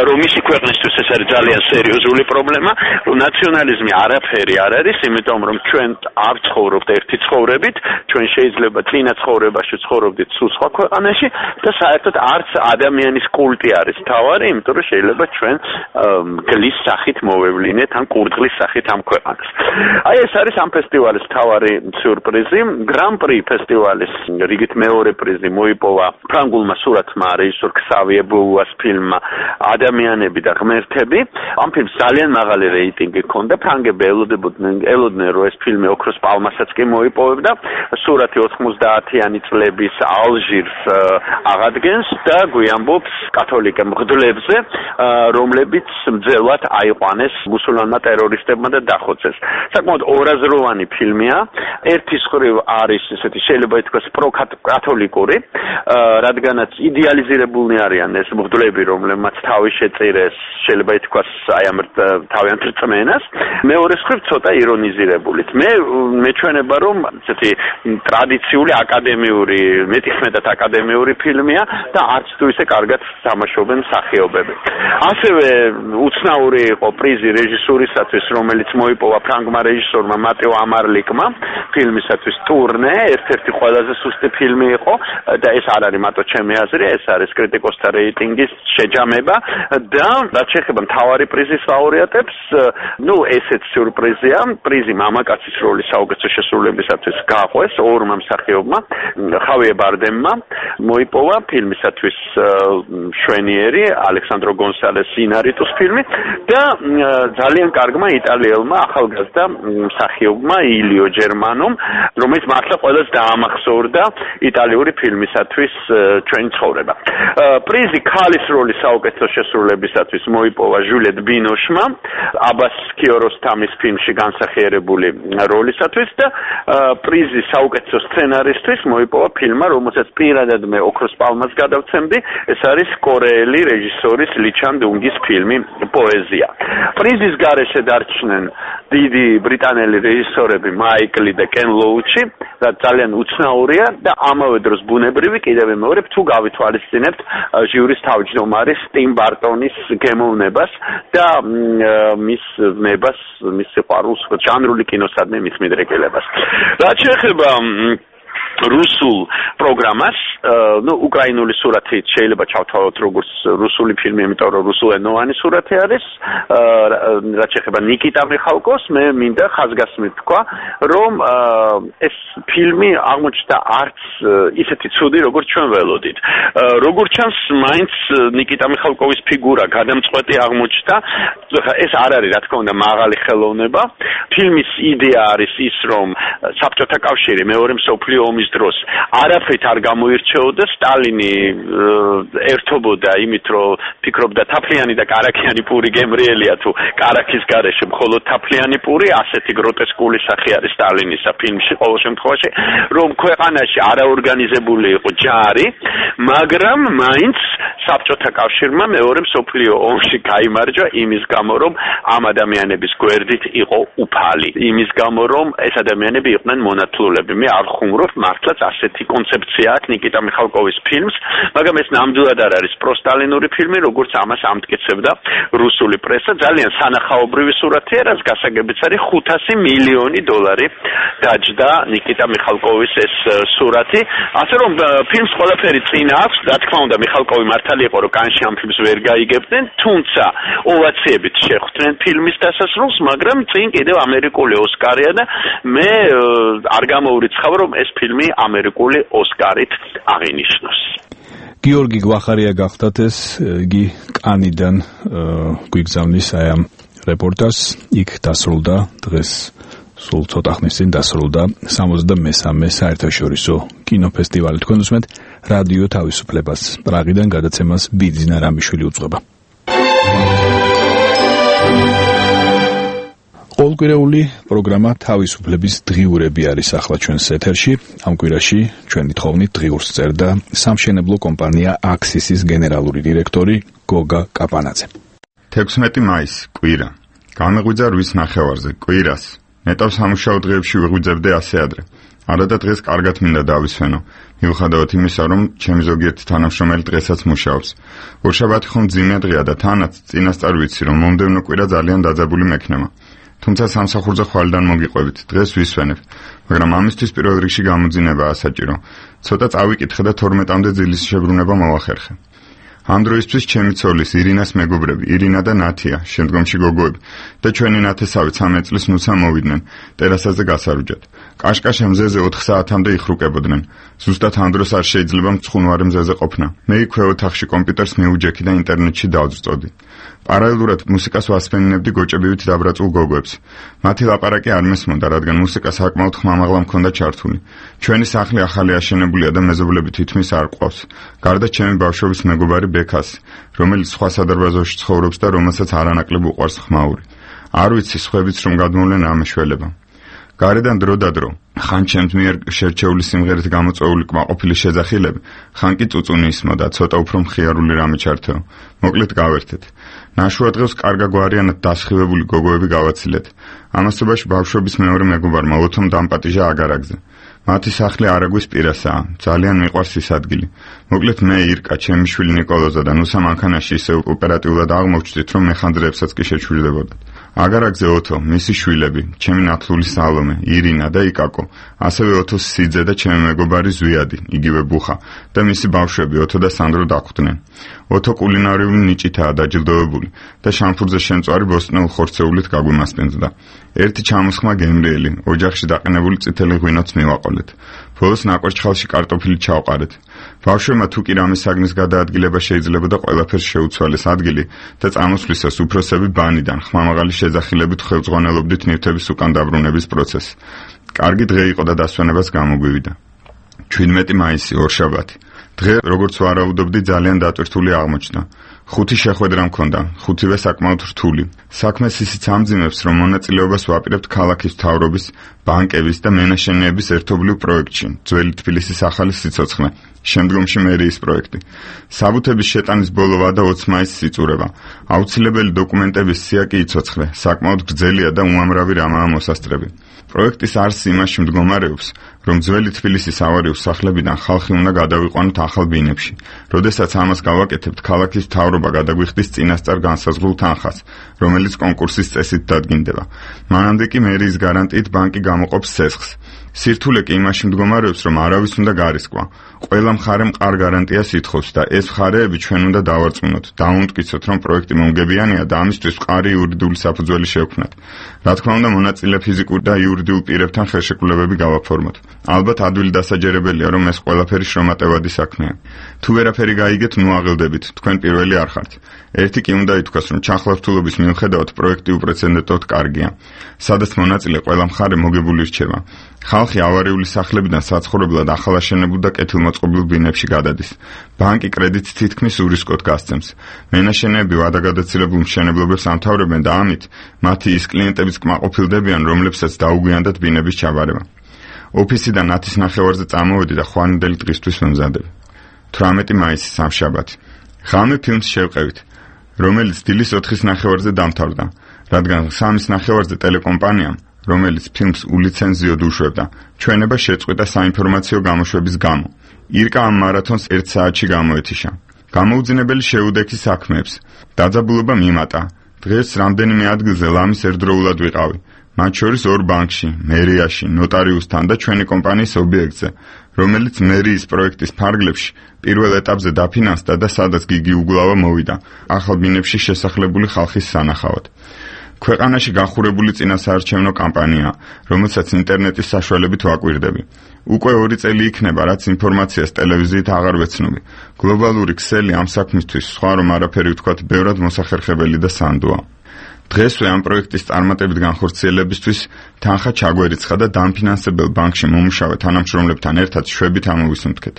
რომ მისი ქვეყნისთვის ეს არის ძალიან სერიოზული პრობლემა, რომ ნაციონალიზმი არაფერი არ არის, იმიტომ რომ ჩვენ არ ცხოვრობთ ერთი ცხოვრებით, ჩვენ შეიძლება წინა ცხოვრებაში ცხოვრობდით სულ სხვა ქვეყანაში და საერთოდ არც ადამიანის კულტი არის თავარი, იმიტომ რომ შეიძლება ჩვენ გლის სახით მოვევლინეთ ან კურდღლის სახით ამ ქვეყანას. აი ეს არის ამ ფესტივალის თავარი სიურპრიზი. გრან-პრი ფესტივალის რიგით მეორე პრიზი მოიპოვა ფრანგულმა სურათმა რეჟისორ ქსავიე ბუას ფილმმა ადამიანები და ღმერთები. ამ ფილმს ძალიან მაღალი რეიტინგი ჰქონდა. ფრანგები ელოდებოდნენ ელოდნენ რომ ეს ფილმი ოქროს პალმასაც კი მოიპოვებდა. სურათი ოთხმოცდაათიანი წლების ალჟირს აღადგენს და გვიამბობს კათოლიკე მღვდლებზე, რომლებიც მძელად აიყვანეს მუსულმანმა ტერორისტებმა და დახოცეს. საკმაოდ ორაზროვანი ფილმია. ერთი მხრივ არის ესეთი შეიძლება ითქვას პროკათოლიკური, რადგანაც იდეალიზირებულნი არიან ეს მღვდლები, რომლებმაც თავი შეწირეს, შეიძლება ითქვას აი ამ თავიანთ რწმენას. მეორე მხრივ ცოტა ირონიზირებულით. მე მეჩვენება რომ ესეთი ტრადიციული აკადემიური, მეტიხმეტად აკადემიური ფილმია და არც თუ ისე კარგად თამაშობენ მსახიობები. ასევე უცნაური იყო პრიზი რეჟისურისათვის, რომელიც მოიპოვა ფრანგმა რეჟისორმა მატეო ამარლიკმა ფილმისათვის ტურნე, ერთ-ერთი ყველაზე სუსტი ფილმი იყო და ეს არ არის მარტო ჩემი აზრი, ეს არის კრიტიკოსთა რეიტინგის შეჯამება და რაც შეეხება მთავარი პრიზის ლაურეატებს, ну ესეც სიურპრიზია, პრიზი მამაკაცის როლის საუკეთესო შესრულებისათვის გააყვეს ორმა მსახიობმა, ხავიე ბარდემმა მოიპოვა ფილმისათვის შვენიერი ალექსანდრო გონსალეს ინარიტუს ფილმი და ძალიან კარგმა იტალიელმა ახალგაზრდა მსახიობმა ილიო ჯერმანომ, რომელიც მართლა ყველას დაამახსოვრდა იტალიური ფილმისათვის ჩვენი ცხოვრება. პრიზი ქალის როლის საუკეთესო შესრულებისათვის მოიპოვა ჟულიეტ ბინოშმა აბას კიოროსთამის ფილმში განსახიერებული როლისათვის და პრიზი საუკეთესო სცენარისთვის მოიპოვა ფილმმა, რომელსაც პირადად მე ოქროს პალმას გადავცემდი, ეს არის კორეელი რეჟისორის ლიჩან დუნგის ფილმი პოეზია. პრიზის გარეშე დარჩნენ დიდი ბრიტანელი რეჟისორები მაიკლი და კენ ლოუჩი, რაც ძალიან უცნაურია და ამავე დროს ბუნებრივი კიდევ მეორე თუ გავითვალისწინებთ ჟიურის თავმჯდომარის ტიმ ბარტონის გემოვნებას და მის ნებას, მის სიყვარულს, ჟანრული კინოსადმი მის მიდრეკილებას. რაც შეეხება რუსულ პროგრამას, ну უკრაინული სურათი შეიძლება ჩავთვალოთ როგორც რუსული ფილმი, იმიტომ რომ რუსულენოვანი სურათი არის. რაც შეეხება ნიკიტა მიხალკოს, მე მინდა ხაზგასმით თქვა, რომ ეს ფილმი აღმოჩნდა არც ისეთი ცუდი, როგორც ჩვენ ველოდით. როგორც ჩანს, მაინც ნიკიტა მიხალკოვის ფიგურა გადამწყვეტი აღმოჩნდა. ეს არ არის, რა თქმა უნდა, მაღალი ხელოვნება. ფილმის იდეა არის ის, რომ საბჭოთა კავშირი მეორე მსოფლიო ომის დროს არაფრით არ გამოირჩეოდა, სტალინი ერთობოდა იმით, რომ ფიქრობდა თაფლიანი და კარაქიანი პური გემრიელია თუ კარაქის გარეშე მხოლოდ თაფლიანი პური, ასეთი გროტესკული სახე არის სტალინისა ფილმში ყოველ შემთხვევაში, რომ ქვეყანაში არაორგანიზებული იყო ჯარი, მაგრამ მაინც საბჭოთა კავშირმა მეორე მსოფლიო ომში გაიმარჯვა იმის გამო, რომ ამ ადამიანების გვერდით იყო უფალი, იმის გამო, რომ ეს ადამიანები იყვნენ მონათლულები. მე არ ხუმრობ მართლაც ასეთი კონცეფცია აქვს ნიკიტა მიხალკოვის ფილმს, მაგრამ ეს ნამდვილად არ არის პროსტალინური ფილმი, როგორც ამას ამტკიცებდა რუსული პრესა. ძალიან სანახაობრივი სურათია, რაც გასაგებიც არის ხუთასი მილიონი დოლარი დაჯდა ნიკიტა მიხალკოვის ეს სურათი. ასე რომ ფილმს ყველაფერი წინ აქვს, რა თქმა უნდა მიხალკოვი მართალი იყო, რომ კანში ამ ფილმს ვერ გაიგებდნენ, თუმცა ოვაციებით შეხვდნენ ფილმის დასასრულს, მაგრამ წინ კიდევ ამერიკული ოსკარია და მე არ გამოურიცხავ, რომ ეს ფილმი ამერიკული ოსკარით აღინიშნოს. გიორგი გვახარია გახდათ ეს, იგი კანიდან გვიგზავნის აი ამ რეპორტაჟს, იქ დასრულდა დღეს სულ ცოტა ხნის წინ დასრულდა სამოცდამესამე საერთაშორისო კინოფესტივალი. თქვენ უსმენთ რადიო თავისუფლებას. პრაღიდან გადაცემას ბიძინა რამიშვილი უძღვება. ყოველკვირეული პროგრამა თავისუფლების დღიურები არის ახლა ჩვენს ეთერში. ამ კვირაში ჩვენი თხოვნით დღიურს წერდა სამშენებლო კომპანია აქსისის გენერალური დირექტორი გოგა კაპანაძე. თექვსმეტი მაისი, კვირა. გამეღვიძა რვის ნახევარზე, კვირას. ნეტავ სამუშაო დღეებში ვიღვიძებდე ასე ადრე. არა და დღეს კარგად მინდა დავისვენო. მიუხედავად იმისა, რომ ჩემი ზოგიერთი თანამშრომელი დღესაც მუშაობს. ორშაბათი ხომ მძიმე დღეა და თანაც წინასწარ ვიცი, რომ მომდევნო კვირა ძალიან დაძაბული მექნება. თუმცა სამსახურზე ხვალიდან მოგიყვებით, დღეს ვისვენებ, მაგრამ ამისთვის პირველ რიგში გამოძინებაა საჭირო. ცოტა წავიკითხე და თორმეტამდე ძილის შებრუნება მოვახერხე. ამ დროისთვის ჩემი ცოლის ირინას მეგობრები, ირინა და ნათია, შემდგომში გოგოები და ჩვენი ნათესავი ცამეტ წლის ნუცა მოვიდნენ ტერასაზე გასარუჯად. კაშკაშა მზეზე ოთხ საათამდე იხრუკებოდნენ. ზუსტად ამ დროს არ შეიძლება მცხუნვარე მზეზე ყოფნა. მე იქვე ოთახში კომპიუტერს მიუჯექი და ინტერნეტში დავწწოდი. პარალელურად მუსიკას ვასფენინებდი გოჭებივით დაბრაწულ გოგოებს. მათი ლაპარაკი არ მესმოდა, რადგან მუსიკა საკმაოდ ხმამაღლა მქონდა ჩართული. ჩვენი სახლი ახალი აშენებულია და მეზობლები თითქმის არ ყავს. გარდა ჩემი ბავშვობის მეგობარი ბექას, რომელიც სხვა სადარბაზოში ცხოვრობს და რომელსაც არანაკლებ უყვარს ხმაური. არ ვიცი სხვებიც რომ გადმოვლენ ამ მეშველება. გარედან დრო და დრო, ხან ჩემს მიერ შერჩეული სიმღერით გამოწვეული კმაყოფილი შეძახილები, ხან კი წუწუნი ისმოდა, ცოტა უფრო მხიარული რამე ჩართეო. მოკლედ გავერთეთ. ნაშუა დღეს კარგა გვარიანად დასხივებული გოგოები გავაცილეთ. ამასობაში ბავშვობის მეორე მეგობარმა ოთომ დამპატიჟა აგარაგზე. მათი სახლი არაგვის პირასაა, ძალიან მიყვარს ის ადგილი. მოკლედ მე ირკა, ჩემი შვილი ნიკოლოზა და ნუსა მანქანაში ისე ოპერატიულად აღმოჩნდით, რომ მეხანძრეებსაც კი შეჩვირდებოდათ. აგარაგზე ოთო, მისი შვილები, ჩემი ნათლული სალომე, ირინა და იკაკო, ასევე ოთოს სიძე და ჩემი მეგობარი ზვიადი, იგივე ბუხა და მისი ბავშვები ოთო და სანდრო დახვდნენ. ოთო კულინარიული ნიჭითაა დაჯილდოვებული და შამფურზე შემწვარი ბოსტნეულ ხორცეულით გაგვიმასპინძდა. ერთი ჩამოსხმა გემრიელი, ოჯახში დაყენებული წითელი ღვინოც მივაყოლეთ. ბოლოს ნაკვერჩხალში კარტოფილი ჩავყარეთ. ბავშვებმა თუ კი რამე საგნის გადაადგილება შეიძლებოდა ყველაფერს შეუცვალეს ადგილი და წამოსვლისას უფროსები ბანიდან ხმამაღალი შეძახილებით ხელმძღვანელობდით ნივთების უკან დაბრუნების პროცესს. კარგი დღე იყო და დასვენებას გამოგვივიდა. ჩვიდმეტი მაისი, ორშაბათი. დღე, როგორც ვარაუდობდი, ძალიან დატვირთული აღმოჩნდა. ხუთი შეხვედრა მქონდა, ხუთივე საკმაოდ რთული. საქმეს ისიც ამძიმებს, რომ მონაწილეობას ვაპირებთ ქალაქის მთავრობის, ბანკების და მენაშენეების ერთობლივ პროექტში, ძველი თბილისის ახალი სიცოცხლე, შემდგომში მერიის პროექტი. საბუთების შეტანის ბოლოვა და ოცი მაისს იწურება. აუცილებელი დოკუმენტების სია კი იცოცხლე, საკმაოდ გრძელია და უამრავი რამაა მოსასწრები. პროექტის არსი იმაში მდგომარეობს, რომ ძველი თბილისის ავარიულ სახლებიდან ხალხი უნდა გადავიყვანოთ ახალ ბინებში. როდესაც ამას გავაკეთებთ, ქალაქის მთავრობა გადაგვიხდის წინასწარ განსაზღვრულ თანხას, რომელიც კონკურსის წესით დადგინდება. მანამდე კი მერიის გარანტიით ბანკი გამოყოფს ცესხს. სირთულე კი იმაში მდგომარეობს, რომ არავის უნდა გარისკვა. ყველა მხარე მყარ გარანტიას ითხოვს და ეს მხარეები ჩვენ უნდა დავარწმუნოთ, დავუმტკიცოთ, რომ პროექტი მომგებიანია და ამისთვის მყარი იურიდიული საფუძველი შევქმნათ. რა თქმა უნდა, მონაწილე ფიზიკურ და იურიდიულ პირებთან ხელშეკრულებები გავაფორმოთ. ალბათ ადვილი დასაჯერებელია, რომ ეს ყველაფერი შრომატევადი საქმეა. თუ ვერაფერი გაიგეთ, ნუ აღელდებით, თქვენ პირველი არ ხართ. ერთი კი უნდა ითქვას, რომ ჩახლართულობის მიუხედავად პროექტი უპრეცედენტოდ კარგია. სადაც მონაწილე ყველა მხარე მოგებული რჩება. ხალხი ავარიული სახლებიდან საცხოვრებლად ახალაშენებულ და კეთილმოწყობილ ბინებში გადადის. ბანკი კრედიტს თითქმის ურისკოდ გასცემს. მენაშენეები ვადაგადაცილებულ მშენებლობებს ამთავრებენ და ამით მათი ის კლიენტებიც კმაყოფილდებიან, რომლებსაც დაუგვიანდათ ბინების ჩაბარება. ოფისიდან ნათის ნახევარზე წამოვედი და ხვანიდელი დღისთვის მომზადები. თვრამეტი მაისი, სამშაბათი. ღამე ფილმს შევყევით, რომელიც დილის ოთხის ნახევარზე დამთავრდა, რადგან სამის ნახევარზე ტელეკომპანიამ, რომელიც ფილმს ულიცენზიოდ უშვებდა, ჩვენება შეწყვიტა საინფორმაციო გამოშვების გამო. ირკა ამ მარათონს ერთ საათში გამოეთიშა. გამოუძინებელი შეუდექი საქმეებს. დაძაბულობა მიმატა. დღეს რამდენიმე ადგილზე ლამის ერთდროულად ვიყავი. მათ შორის ორ ბანკში, მერიაში, ნოტარიუსთან და ჩვენი კომპანიის ობიექტზე, რომელიც მერიის პროექტის ფარგლებში პირველ ეტაპზე დაფინანსდა და სადაც გიგი უგულავა მოვიდა, ახალ ბინებში შესახლებული ხალხის სანახავად. ქვეყანაში გახურებული წინასაარჩევნო კამპანია, რომელსაც ინტერნეტის საშუალებით ვაკვირდები. უკვე ორი წელი იქნება, რაც ინფორმაციას ტელევიზიით აღარ ვეცნობი. გლობალური ქსელი ამ საქმისთვის, სხვა რომ არაფერი ვთქვათ, ბევრად მოსახერხებელი და სანდოა. დღესვე ამ პროექტის წარმატებით განხორციელებისთვის თანხა ჩაგვერიცხა და დამფინანსებელ ბანკში მომუშავე თანამშრომლებთან ერთად შვებით ამოვისუნთქეთ.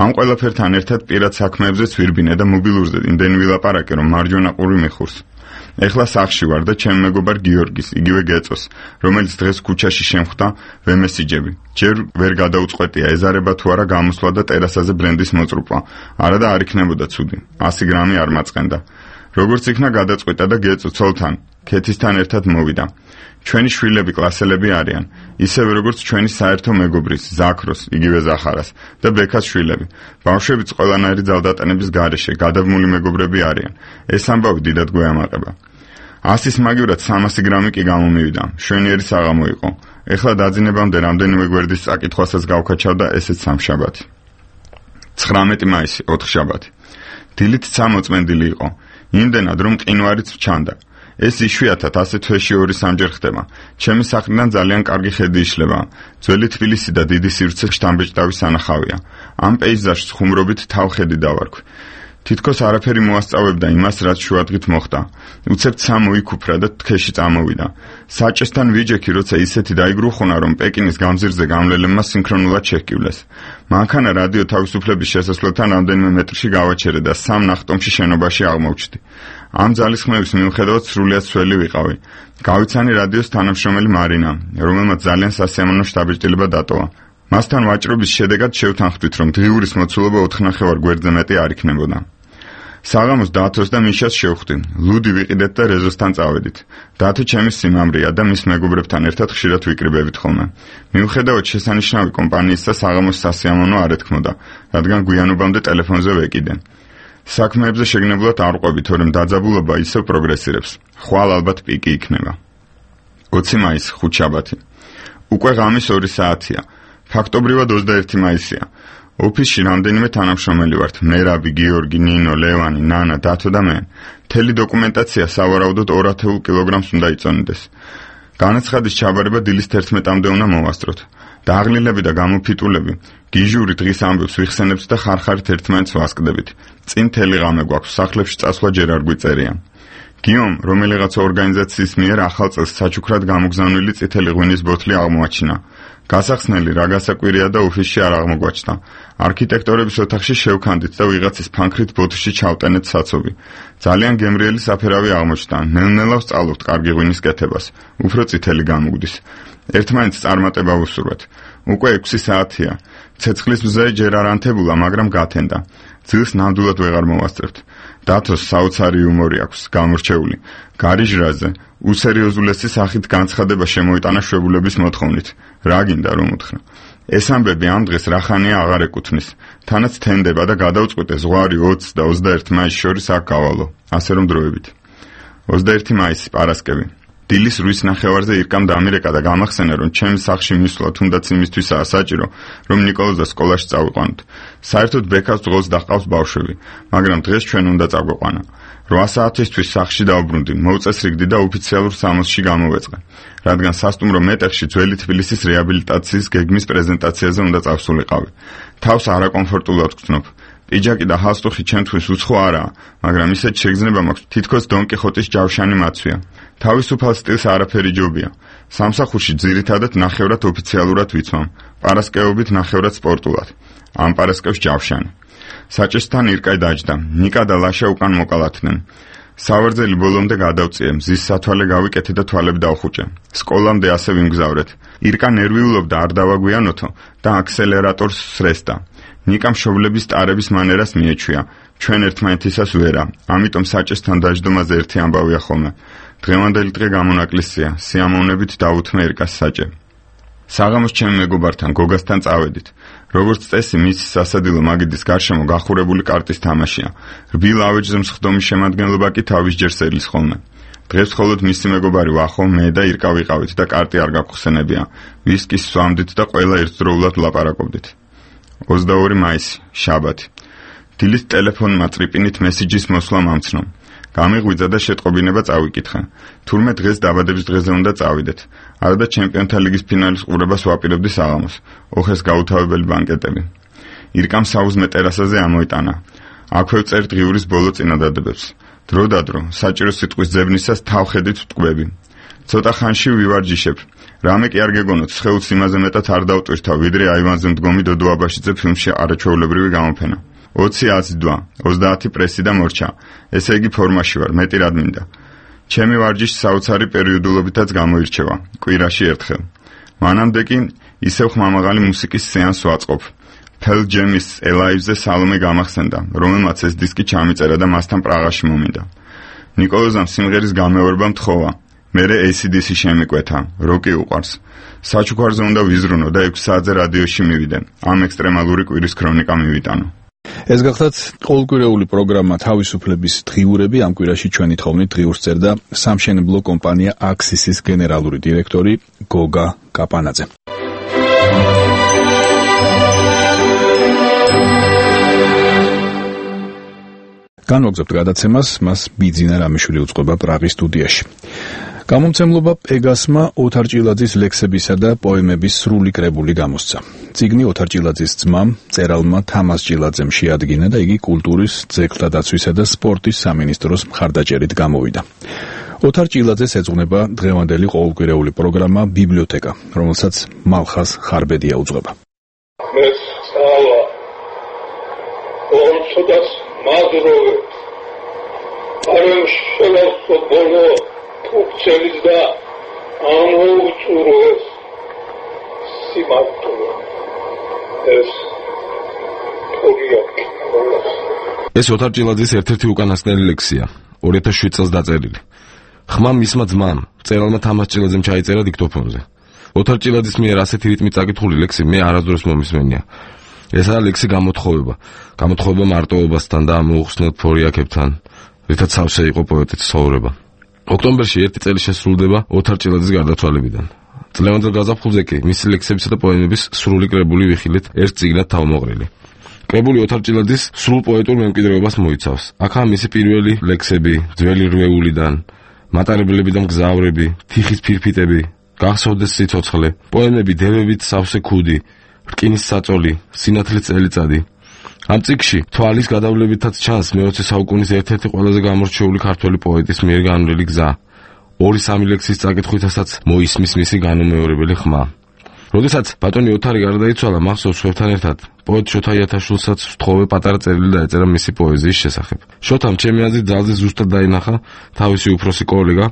ამ ყველაფერთან ერთად პირად საქმეებზეც ვირბინე და მობილურზე იმდენი ვილაპარაკე, რომ მარჯვენა ყური მიხურს. ეხლა სახში ვარ და ჩემ მეგობარ გიორგის, იგივე გეწოს, რომელიც დღეს ქუჩაში შემხვდა, ვემესიჯები. ჯერ ვერ გადაუწყვეტია ეზარება თუ არა გამოსვლა და ტერასაზე ბრენდის მოწრუპვა. არა და არ იქნებოდა ცუდი. ასი გრამი არ მაწყენდა. როგორც იქნა გადაწყვიტა და გეწო ცოლთან, ქეთისთან ერთად მოვიდა. ჩვენი შვილები კლასელები არიან, ისევე როგორც ჩვენი საერთო მეგობრის, ზაქროს, იგივე ზახარას და ბექას შვილები. ბავშვებიც ყველანაირი ძალდატანების გარეშე გადაბმული მეგობრები არიან. ეს ამბავი დიდად გვეამაყება. ასის მაგივრად სამასი გრამი კი გამომივიდა. შვენიერი საღამო იყო. ეხლა დაძინებამდე რამდენიმე გვერდის წაკითხვასაც გავქაჩავდა ესეც სამშაბათი. ცხრამეტი მაისი, ოთხშაბათი. დილით ცა მოწმენდილი იყო. იმდენად რომ მყინვარიც ჩანდა. ეს იშვიათად ასე თვეში ორი სამჯერ ხდება. ჩემი სახლიდან ძალიან კარგი ხედი იშლება. ძველი თბილისი და დიდი სივრცე შთამბეჭდავის სანახავია. ამ პეიზაჟს ხუმრობით თავხედი დავარქვი. თითქოს არაფერი მოასწავებდა იმას, რაც შუადღით მოხდა. უცებ ცა მოიქუფრა და თქეში წამოვიდა. საჭესთან ვიჯექი, როცა ისეთი დაიგრუხუნა, რომ პეკინის გამზირზე გამლელებმა სინქრონულად შეჰკივლეს. მანქანა რადიო თავისუფლების შესასვლელთან რამდენიმე მეტრში გავაჩერე და სამ ნახტომში შენობაში აღმოვჩდი. ამ ძალისხმევის მიუხედავად სრულიად სველი ვიყავი. გავიცანი რადიოს თანამშრომელი მარინა, რომელმაც ძალიან სასიამოვნო შთაბეჭდილება დატოვა. მასთან ვაჭრობის შედეგად შევთანხმდით, რომ დღიურის მოცულობა ოთხნახევარ გვერდზე მეტი არ იქნებოდა. საღამოს დათოს და მიშას შევხვდი. ლუდი ვიყიდეთ და რეზოსთან წავედით. დათო ჩემი სიმამრეა და მის მეგობრებთან ერთად ხშირად ვიკრიბებით ხოლმე. მიუხედავად შესანიშნავი კომპანიისა, საღამოს სასიამოვნო არ ეთქმოდა, რადგან გვიანობამდე ტელეფონზე ვეკიდე. საქმეებზე შეგნებულად არ ვყვები, თორემ დაძაბულობა ისევ პროგრესირებს. ხვალ ალბათ პიკი იქნება. ოცი მაისი, ხუთშაბათი. უკვე ღამის ორი საათია. ფაქტობრივად ოცდაერთი მაისია. ოფისში რამდენიმე თანამშრომელი ვართ. მერაბი, გიორგი, ნინო, ლევანი, ნანა, დათო და მე. მთელი დოკუმენტაცია სავარაუდოდ ორ ათეულ კილოგრამს უნდა იწონდეს. განაცხადის ჩაბარება დილის თერთმეტამდე უნდა მოვასწროთ. დაღლილები და გამოფიტულები, გიჟური დღის ამბებს ვიხსენებთ და ხარხარით ერთმანეთს ვასკდებით. წინ მთელი ღამე გვაქვს, სახლებში წასვლა ჯერ არ გვიწერია. გიომ, რომელიღაც ორგანიზაციის მიერ ახალ წელს საჩუქრად გამოგზავნილი წითელი ღვინის ბოთლი აღმოაჩინა. გასახსნელი რა გასაკვირია და ოფისში არ აღმოგვაჩნდა. არქიტექტორების ოთახში შევქანდით და ვიღაცის ფანქრით ბოთლში ჩავტენეთ საცობი. ძალიან გემრიელი საფერავი აღმოჩნდა. ნელ-ნელა ვსწავლობთ კარგი ღვინის კეთებას. უფრო წითელი გამოგვდის. ერთმანეთს წარმატება ვუსურვეთ. უკვე ექვსი საათია. ცეცხლის მზე ჯერ არ ანთებულა, მაგრამ გათენდა. ძილს ნამდვილად ვეღარ მოვასწრებთ. დათოს საოცარი იუმორი აქვს, გამორჩეული. გარიჟრაზე უსერიოზულესი სახით განცხადება შემოიტანა შვებულების მოთხოვნით. რა გინდა რომ უთხრა? ეს ამბები ამ დღეს რახანია აღარ ეკუთვნის. თანაც თენდება და გადავწყვიტე ზღვარი ოცს და ოცდაერთს მაისს შორის აქ გავალო. ასე რომ დროებით. ოცდაერთი მაისი, პარასკევი. დილის რვის ნახევარზე ირკამ დამირეკა და გამახსენა, რომ ჩემს სახლში მისვლა თუნდაც იმისთვისაა საჭირო, რომ ნიკოლოზა სკოლაში წავიყვანოთ. საერთოდ ბექას ძღოლს დაჰყავს ბავშვები, მაგრამ დღეს ჩვენ უნდა წაგვეყვანა. რვა საათისთვის სახლში დავბრუნდი, მოვწესრიგდი და ოფიციალურ სამოსში გამოვეწყე, რადგან სასტუმრო მეტეხში ძველი თბილისის რეაბილიტაციის გეგმის პრეზენტაციაზე უნდა წავსულიყავი. თავს არაკომფორტულად ვგრძნობ. პიჯაკი და ჰალსტუხი ჩემთვის უცხო არაა, მაგრამ ისეთ შეგრძნება მაქვს, თითქოს დონ კიხოტის ჯავშანი მაცვია. თავისუფალ სტილს არაფერი ჯობია. სამსახურში ძირითადად ნახევრად ოფიციალურად ვიცვამ, პარასკევობით ნახევრად სპორტულად. ამ პარასკევს ჯავშანი. საჭესთან ირკაი დაჯდა, ნიკა და ლაშა უკან მოკალათდნენ. სავარძელი ბოლომდე გადავწიე, მზის სათვალე გავიკეთე და თვალები დავხუჭე. სკოლამდე ასე ვიმგზავრეთ. ირკა ნერვიულობდა, არ დავაგვიანოთო და აქსელერატორს სრესდა. ნიკა მშობლების ტარების მანერას მიეჩვია. ჩვენ ერთმანეთისას ვერა, ამიტომ საჭესთან დაждდომაზე ერთი ამბავია ხოლმე. დღევანდელი დღე გამონაკლისია, სიამოვნებით დავუთმე ირკას საჭე. საღამოს ჩემ მეგობართან გოგასთან წავედით. როგორც წესი, მისი სასადილო მაგიდის გარშემო გახურებული კარტის თამაშია. რბილ ავეჯზე მსხდომის შემადგენლობა კი თავისჯერ სელის ხოლმე. დღეს მხოლოდ მისი მეგობარი ვახო, მე და ირკა ვიყავით და კარტი არ გაგხსენებია. ვისკის სვამდით და ყველა ერთდროულად ვლაპარაკობდით. ოცდაორი მაისი, შაბათი. დილის ტელეფონმა ტრიპინით მესიჯის მოსვლა მომცნო. გამიღვიძა და შეტყობინება წავიკითხე. თურმე დღეს დაბადების დღეზე უნდა წავიდეთ. არადა ჩემპიონთა ლიგის ფინალის ყურებას ვაპირებდი საღამოს. ოხეს გაუთავებელი ბანკეტები. ირკამ საუზმე ტერასაზე ამოიტანა. აქვე ვწერ დღიურის ბოლო წინადადებებს. დრო და დრო, საჭირო სიტყვის ძებნისას თავხედით ვტყვები. ცოტა ხანში ვივარჯიშებ. რამე კი არ გეგონოთ, სხეულს იმაზე მეტად არ დავტვირთავ, ვიდრე აივანზე მდგომი დოდო აბაშიძე ფილმში არაჩვეულებრივი გამოფენა. ოცი აზიდვა, ოცდაათი პრესი და მორჩა. ესე იგი ფორმაში ვარ, მეტი რად მინდა. ჩემი ვარჯიში საოცარი პერიოდულობითაც გამოირჩევა, კვირაში ერთხელ. მანამდე კი ისევ ხმამაღალი მუსიკის სეანს ვაწყობ. Pearl Jam-ის Alive-ზე სალომე გამახსენდა, რომელმაც ეს დისკი ჩამიწერა და მასთან პრაღაში მომინდა. ნიკოლოზამ სიმღერის გამეორება მთხოვა. მერე A C D C შემიკვეთა, როკი უყვარს. საჩუქარზე უნდა ვიზრუნო და ექვსი საათზე რადიოში მივიდე. ამ ექსტრემალური კვირის ქრონიკა მივიტანო. ეს გახლავთ ყოველკვირეული პროგრამა თავისუფლების დღიურები. ამ კვირაში ჩვენი თხოვნით დღიურს წერდა სამშენებლო კომპანია აქსისის გენერალური დირექტორი გოგა კაპანაძე. განვაგრძობთ გადაცემას, მას ბიძინა რამიშვილი უწყობა პრაღის სტუდიაში. გამომცემლობა პეგასმა ოთარ ჭილაძის ლექსებისა და პოემების სრული კრებული გამოსცა. წიგნი ოთარ ჭილაძის ძმამ, მწერალმა თამას ჭილაძემ შეადგინა და იგი კულტურის, ძეგლთა დაცვისა და სპორტის სამინისტროს მხარდაჭერით გამოვიდა. ოთარ ჭილაძეს ეძღვნება დღევანდელი ყოველკვირეული პროგრამა ბიბლიოთეკა, რომელსაც მალხაზ ხარბედია უძღვება. მე სწავლა ორცოდას მადროვე არემ შევავსო ბოლო ფუქცელის და ამოუწუროს სიმართლე ეს თორიაკი ეს ოთარ ჭილაძის ერთ-ერთი უკანასკნელი ლექსია, ორი ათას შვიდ წელს დაწერილი. ხმა მისმა ძმამ, მწერალმა თამას ჭილაძემ ჩაიწერა დიქტოფონზე. ოთარ ჭილაძის მიერ ასეთი რიტმით წაკითხული ლექსი მე არასდროს მომისმენია. ესაა ლექსი გამოთხოვება, გამოთხოვება მარტოობასთან და მოუხსნელ ფორიაკებთან, რითაც სავსე იყო პოეტის ცხოვრება. ოქტომბერში ერთი წელი შესრულდება ოთარ ჭილაძის გარდაცვალებიდან. წლევანდელ გაზაფხულზე კი მისი ლექსებისა და პოემების სრული კრებული ვიხილეთ ერთ წიგნად თავმოყრილი. კრებული ოთარ ჭილაძის სრულ პოეტურ მემკვიდრეობას მოიცავს. აქაა მისი პირველი ლექსები, ძველი რვეულიდან, მატარებლები და მგზავრები, თიხის ფირფიტები, გახსოვდეს სიცოცხლე, პოემები დევებით სავსე ქუდი, რკინის საწოლი, სინათლის წელიწადი. ამ წიგნში თვალის გადავლებითაც ჩანს მეოცე საუკუნის ერთ-ერთი ყველაზე გამორჩეული ქართველი პოეტის მიერ განვლილი გზა. ორი სამი ლექსის წაკითხვითასაც მოისმის მისი განუმეორებელი ხმა. როდესაც ბატონი ოთარი გარდაიცვალა, მახსოვს სხვებთან ერთად პოეტ შოთა იათაშვილსაც ვთხოვე პატარა წერილი დაეწერა მისი პოეზიის შესახებ. შოთამ ჩემი აზრით ძალზე ზუსტად დაინახა თავისი უფროსი კოლეგა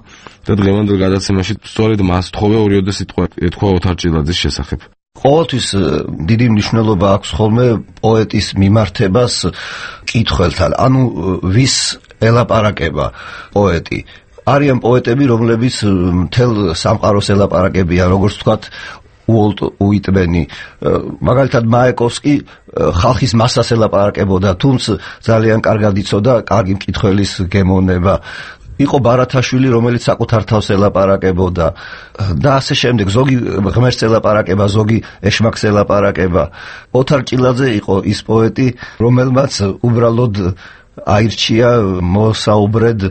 და დღევანდელ გადაცემაში სწორედ მას ვთხოვე ორიოდე სიტყვა ეთქვა ოთარ ჭილაძის შესახებ. ყოველთვის დიდი მნიშვნელობა აქვს ხოლმე პოეტის მიმართებას კითხველთან, ანუ ვის ელაპარაკება პოეტი. არიან პოეტები, რომლებიც მთელ სამყაროს ელაპარაკებიან, როგორც ვთქვათ, უოლტ უიტმენი, მაგალითად მაიაკოვსკი ხალხის მასას ელაპარაკებოდა, თუმცა ძალიან კარგად იცოდა კარგი მკითხველის გემოვნება. იყო ბარათაშვილი, რომელიც საკუთარ თავს ელაპარაკებოდა და ასე შემდეგ, ზოგი ღმერთს ელაპარაკება, ზოგი ეშმაკს ელაპარაკება. ოთარ ჭილაძე იყო ის პოეტი, რომელმაც უბრალოდ აირჩია მოსაუბრედ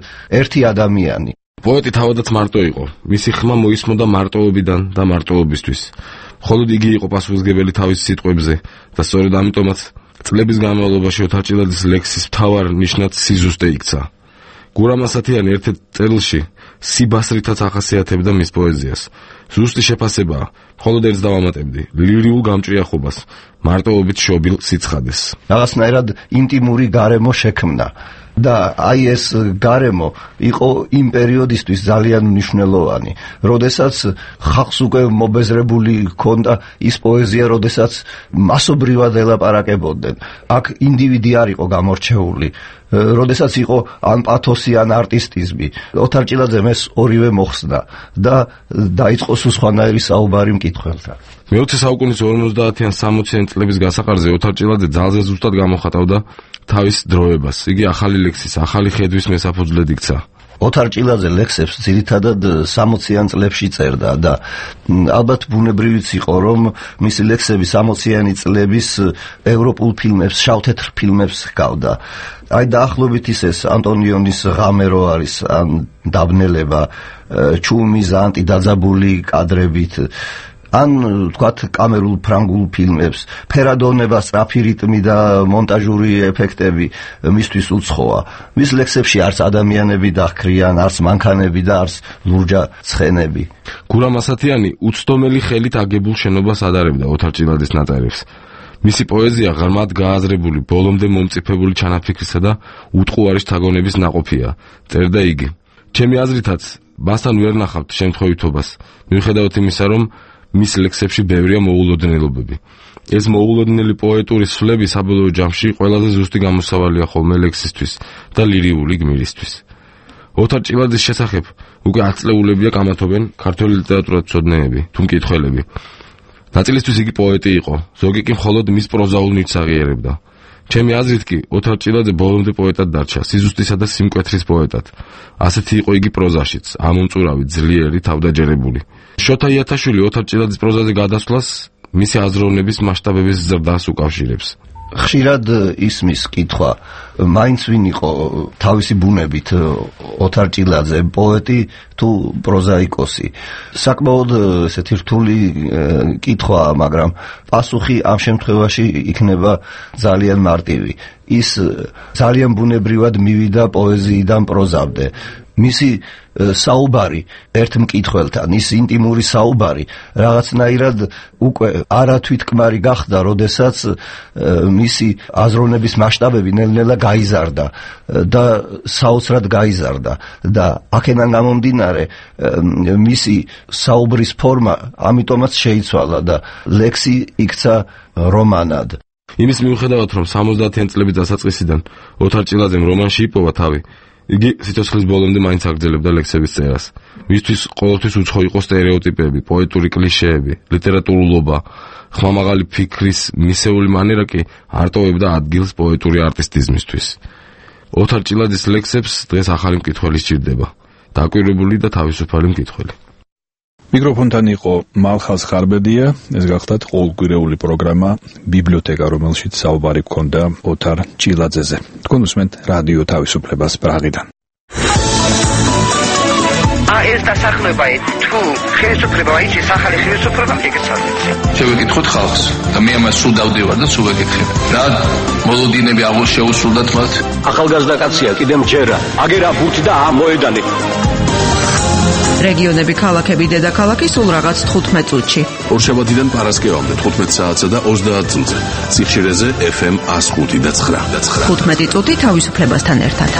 ერთი ადამიანი. პოეტი თავადაც მარტო იყო. მისი ხმა მოისმოდა მარტოობიდან და მარტოობისთვის. მხოლოდ იგი იყო პასუხისმგებელი თავის სიტყვებზე და სწორედ ამიტომაც წლების განმავლობაში ოთარ ჭილაძის ლექსის მთავარ ნიშნად სიზუსტე იქცა. გურამ ასათიანი ერთ-ერთ წერილში სიბასრითაც ახასიათებდა მის პოეზიას. ზუსტი შეფასებაა, მხოლოდ ერთს დავამატებდი, ლირიულ გამჭრიახობას, მარტოობით შობილ სიცხადეს. რაღაცნაირად ინტიმური გარემო შექმნა და აი ეს გარემო იყო იმ პერიოდისთვის ძალიან მნიშვნელოვანი, როდესაც ხალხს უკვე მობეზრებული ჰქონდა ის პოეზია, როდესაც მასობრივად ელაპარაკებოდნენ. აქ ინდივიდი არ იყო გამორჩეული, როდესაც იყო ან პათოსი, ან არტისტიზმი. ოთარ ჭილაძემ ეს ორივე მოხსნა და დაიწყო სულ სხვანაირი საუბარი მკითხველთან. მეოცე საუკუნის ორმოცდაათიან სამოციან წლების გასაყარზე ოთარ ჭილაძე ძალზე ზუსტად გამოხატავდა თავის დროებას. იგი ახალი ლექსის, ახალი ხედვის მესაფუძვლად იქცა. ოთარ ჭილაძე ლექსებს ძირითადად სამოციან წლებში წერდა და ალბათ ბუნებრივიც იყო, რომ მისი ლექსები სამოციანი წლების ევროპულ ფილმებს, შავ-თეთრ ფილმებს ჰგავდა. აი დაახლოებით ისეს ანტონიონის ღამე რო არის, ან დაბნელება, ჩუმი ზანტი დაძაბული კადრებით, ან თქვათ კამერულ ფრანგულ ფილმებს, ფერადონება, სწრაფი რიტმი და მონტაჟური ეფექტები მისთვის უცხოა. მის ლექსებში არც ადამიანები დაჰქრიან, არც მანქანები და არც ლურჯა ცხენები. გურამ ასათიანი უცდომელი ხელით აგებულ შენობას ადარებდა ოთარ ჭილაძის ნაწერებს. მისი პოეზია ღრმად გააზრებული, ბოლომდე მომწიფებული ჩანაფიქრისა და უტყუარი შთაგონების ნაყოფია, წერდა იგი. ჩემი აზრითაც, მასთან ვერ ნახავთ შემთხვევითობას, მიუხედავად იმისა, რომ მის ლექსებში ბევრია მოულოდნელობები. ეს მოულოდნელი პოეტური სვლები საბოლოო ჯამში ყველაზე ზუსტი გამოსავალია ხოლმე ლექსისთვის და ლირიული გმირისთვის. ოთარ ჭილაძის შესახებ უკვე ათწლეულებია კამათობენ ქართული ლიტერატურათმცოდნეები თუ მკითხველები. ნაწილისთვის იგი პოეტი იყო, ზოგი კი მხოლოდ მის პროზაულ ნივთს აღიარებდა. ჩემი აზრით კი ოთარ ჭილაძე ბოლომდე პოეტად დარჩა, სიზუსტისა და სიმკვეთრის პოეტად. ასეთი იყო იგი პროზაშიც, ამომწურავი, ძლიერი, თავდაჯერებული. შოთა იათაშვილი ოთარ ჭილაძის პროზაზე გადასვლას მისი აზროვნების მასშტაბების ზრდას უკავშირებს. ხშირად ისმის კითხვა, მაინც ვინ იყო თავისი ბუნებით ოთარ ჭილაძე, პოეტი თუ პროზაიკოსი. საკმაოდ ესეთი რთული კითხვაა, მაგრამ პასუხი ამ შემთხვევაში იქნება ძალიან მარტივი. ის ძალიან ბუნებრივად მივიდა პოეზიიდან პროზამდე. მისი საუბარი ერთ მკითხველთან, ის ინტიმური საუბარი რაღაცნაირად უკვე არათვითკმარი გახდა, როდესაც მისი აზროვნების მასშტაბები ნელ-ნელა გაიზარდა და საოცრად გაიზარდა და აქედან გამომდინარე მისი საუბრის ფორმა ამიტომაც შეიცვალა და ლექსი იქცა რომანად. იმის მიუხედავად, რომ სამოცდაათი წლების დასაწყისიდან ოთარ ჭილაძემ რომანში იპოვა თავი, იგი სიცოცხლის ბოლომდე მაინც აგრძელებდა ლექსების წერას. მისთვის ყოველთვის უცხო იყო სტერეოტიპები, პოეტური კლიშეები, ლიტერატურულობა, ხმამაღალი ფიქრის მისეული მანერა კი არ ტოვებდა ადგილს პოეტური არტისტიზმისთვის. ოთარ ჭილაძის ლექსებს დღეს ახალი მკითხველი სჭირდება, დაკვირვებული და თავისუფალი მკითხველი. მიკროფონთან იყო მალხაზ ხარბედია, ეს გახლდათ ყოველკვირეული პროგრამა ბიბლიოთეკა, რომელშიც საუბარი გქონდა ოთარ ჭილაძეზე. თქვენ უსმენთ რადიო თავისუფლებას პრაღიდან. ეს დასახლება თუ ხელისუფლება აიჭის ახალი ხელისუფლება მიგეცადეთ. შევეკითხოთ ხალხს და მე ამას სულ დავდივარ და სულ ვეკითხებ. რა მოლოდინები აღარ შეუსრულდათ მათ? ახალგაზრდა კაცია, კიდე მჯერა, აგერა ბურთი და ამოედანი. რეგიონები, ქალაქები, დედაქალაქი სულ რაღაც თხუთმეტ წუთში. ორშაბათიდან პარასკევამდე თხუთმეტ საათსა და ოცდაათ წუთზე. სიხშირეზე ეფ ემ one oh five და nine. თხუთმეტი წუთი თავისუფლებასთან ერთად.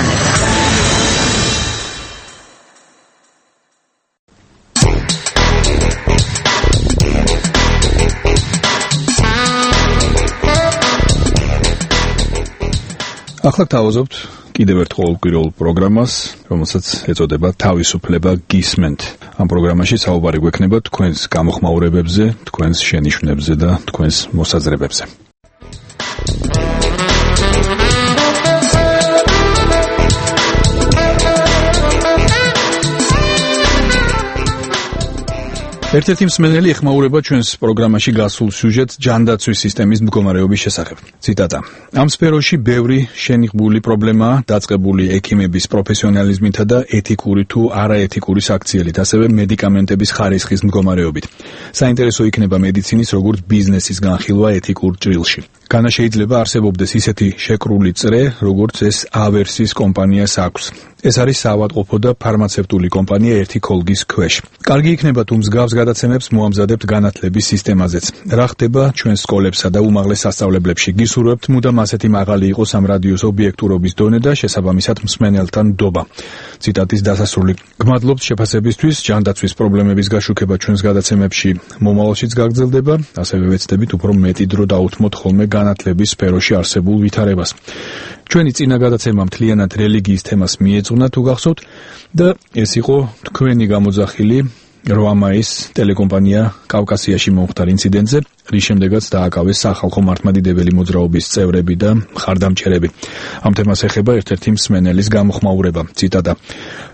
ახლა თავაზობთ კიდევ ერთ ყოველკვირეულ პროგრამას, რომელსაც ეწოდება თავისუფლება გისმენთ. ამ პროგრამაში საუბარი გვექნება თქვენს გამოხმაურებებზე, თქვენს შენიშვნებზე და თქვენს მოსაზრებებზე. ერთ-ერთი მსმენელი ეხმაურება ჩვენს პროგრამაში გასულ სიუჟეტს ჯანდაცვის სისტემის მდგომარეობის შესახებ. ციტატა: ამ სფეროში ბევრი შენიღბული პრობლემაა დაწყებული ექიმების პროფესიონალიზმითა და ეთიკური თუ არაეთიკური საქციელით, ასევე მედიკამენტების ხარისხის მდგომარეობით. საინტერესო იქნება მედიცინის როგორც ბიზნესის განხილვა ეთიკურ ჭრილში. განა შეიძლება არსებობდეს ისეთი შეკრული წრე, როგორც ეს ავერსის კომპანიას აქვს. ეს არის საავადმყოფო და ფარმაცევტული კომპანია ერთი ქოლგის ქვეშ. კარგი იქნება თუ მსგავს გადაცემებს მოამზადებთ განათლების სისტემაზეც. რა ხდება ჩვენს სკოლებსა და უმაღლეს სასწავლებლებში? გისურვებთ მუდამ ასეთი მაღალი იყოს ამ რადიოს ობიექტურობის დონე და შესაბამისად მსმენელთან ნდობა. ციტატის დასასრული. გმადლობთ შეფასებისთვის, ჯანდაცვის პრობლემების გაშუქება ჩვენს გადაცემებში მომავალშიც გაგრძელდება, ასევე ვეცდებით უფრო მეტი დრო დაუთმოთ ხოლმე განათლების სფეროში არსებულ ვითარებას. ჩვენი წინა გადაცემა მთლიანად რელიგიის თემას მიეძღვნა თუ გახსოვთ და ეს იყო თქვენი გამოძახილი რვა მაისს ტელეკომპანია კავკასიაში მომხდარ ინციდენტზე, რის შემდეგაც დააკავეს სახალხო მართლმადიდებელი მოძრაობის წევრები და მხარდამჭერები. ამ თემას ეხება ერთ-ერთი მსმენელის გამოხმაურება. ციტატა: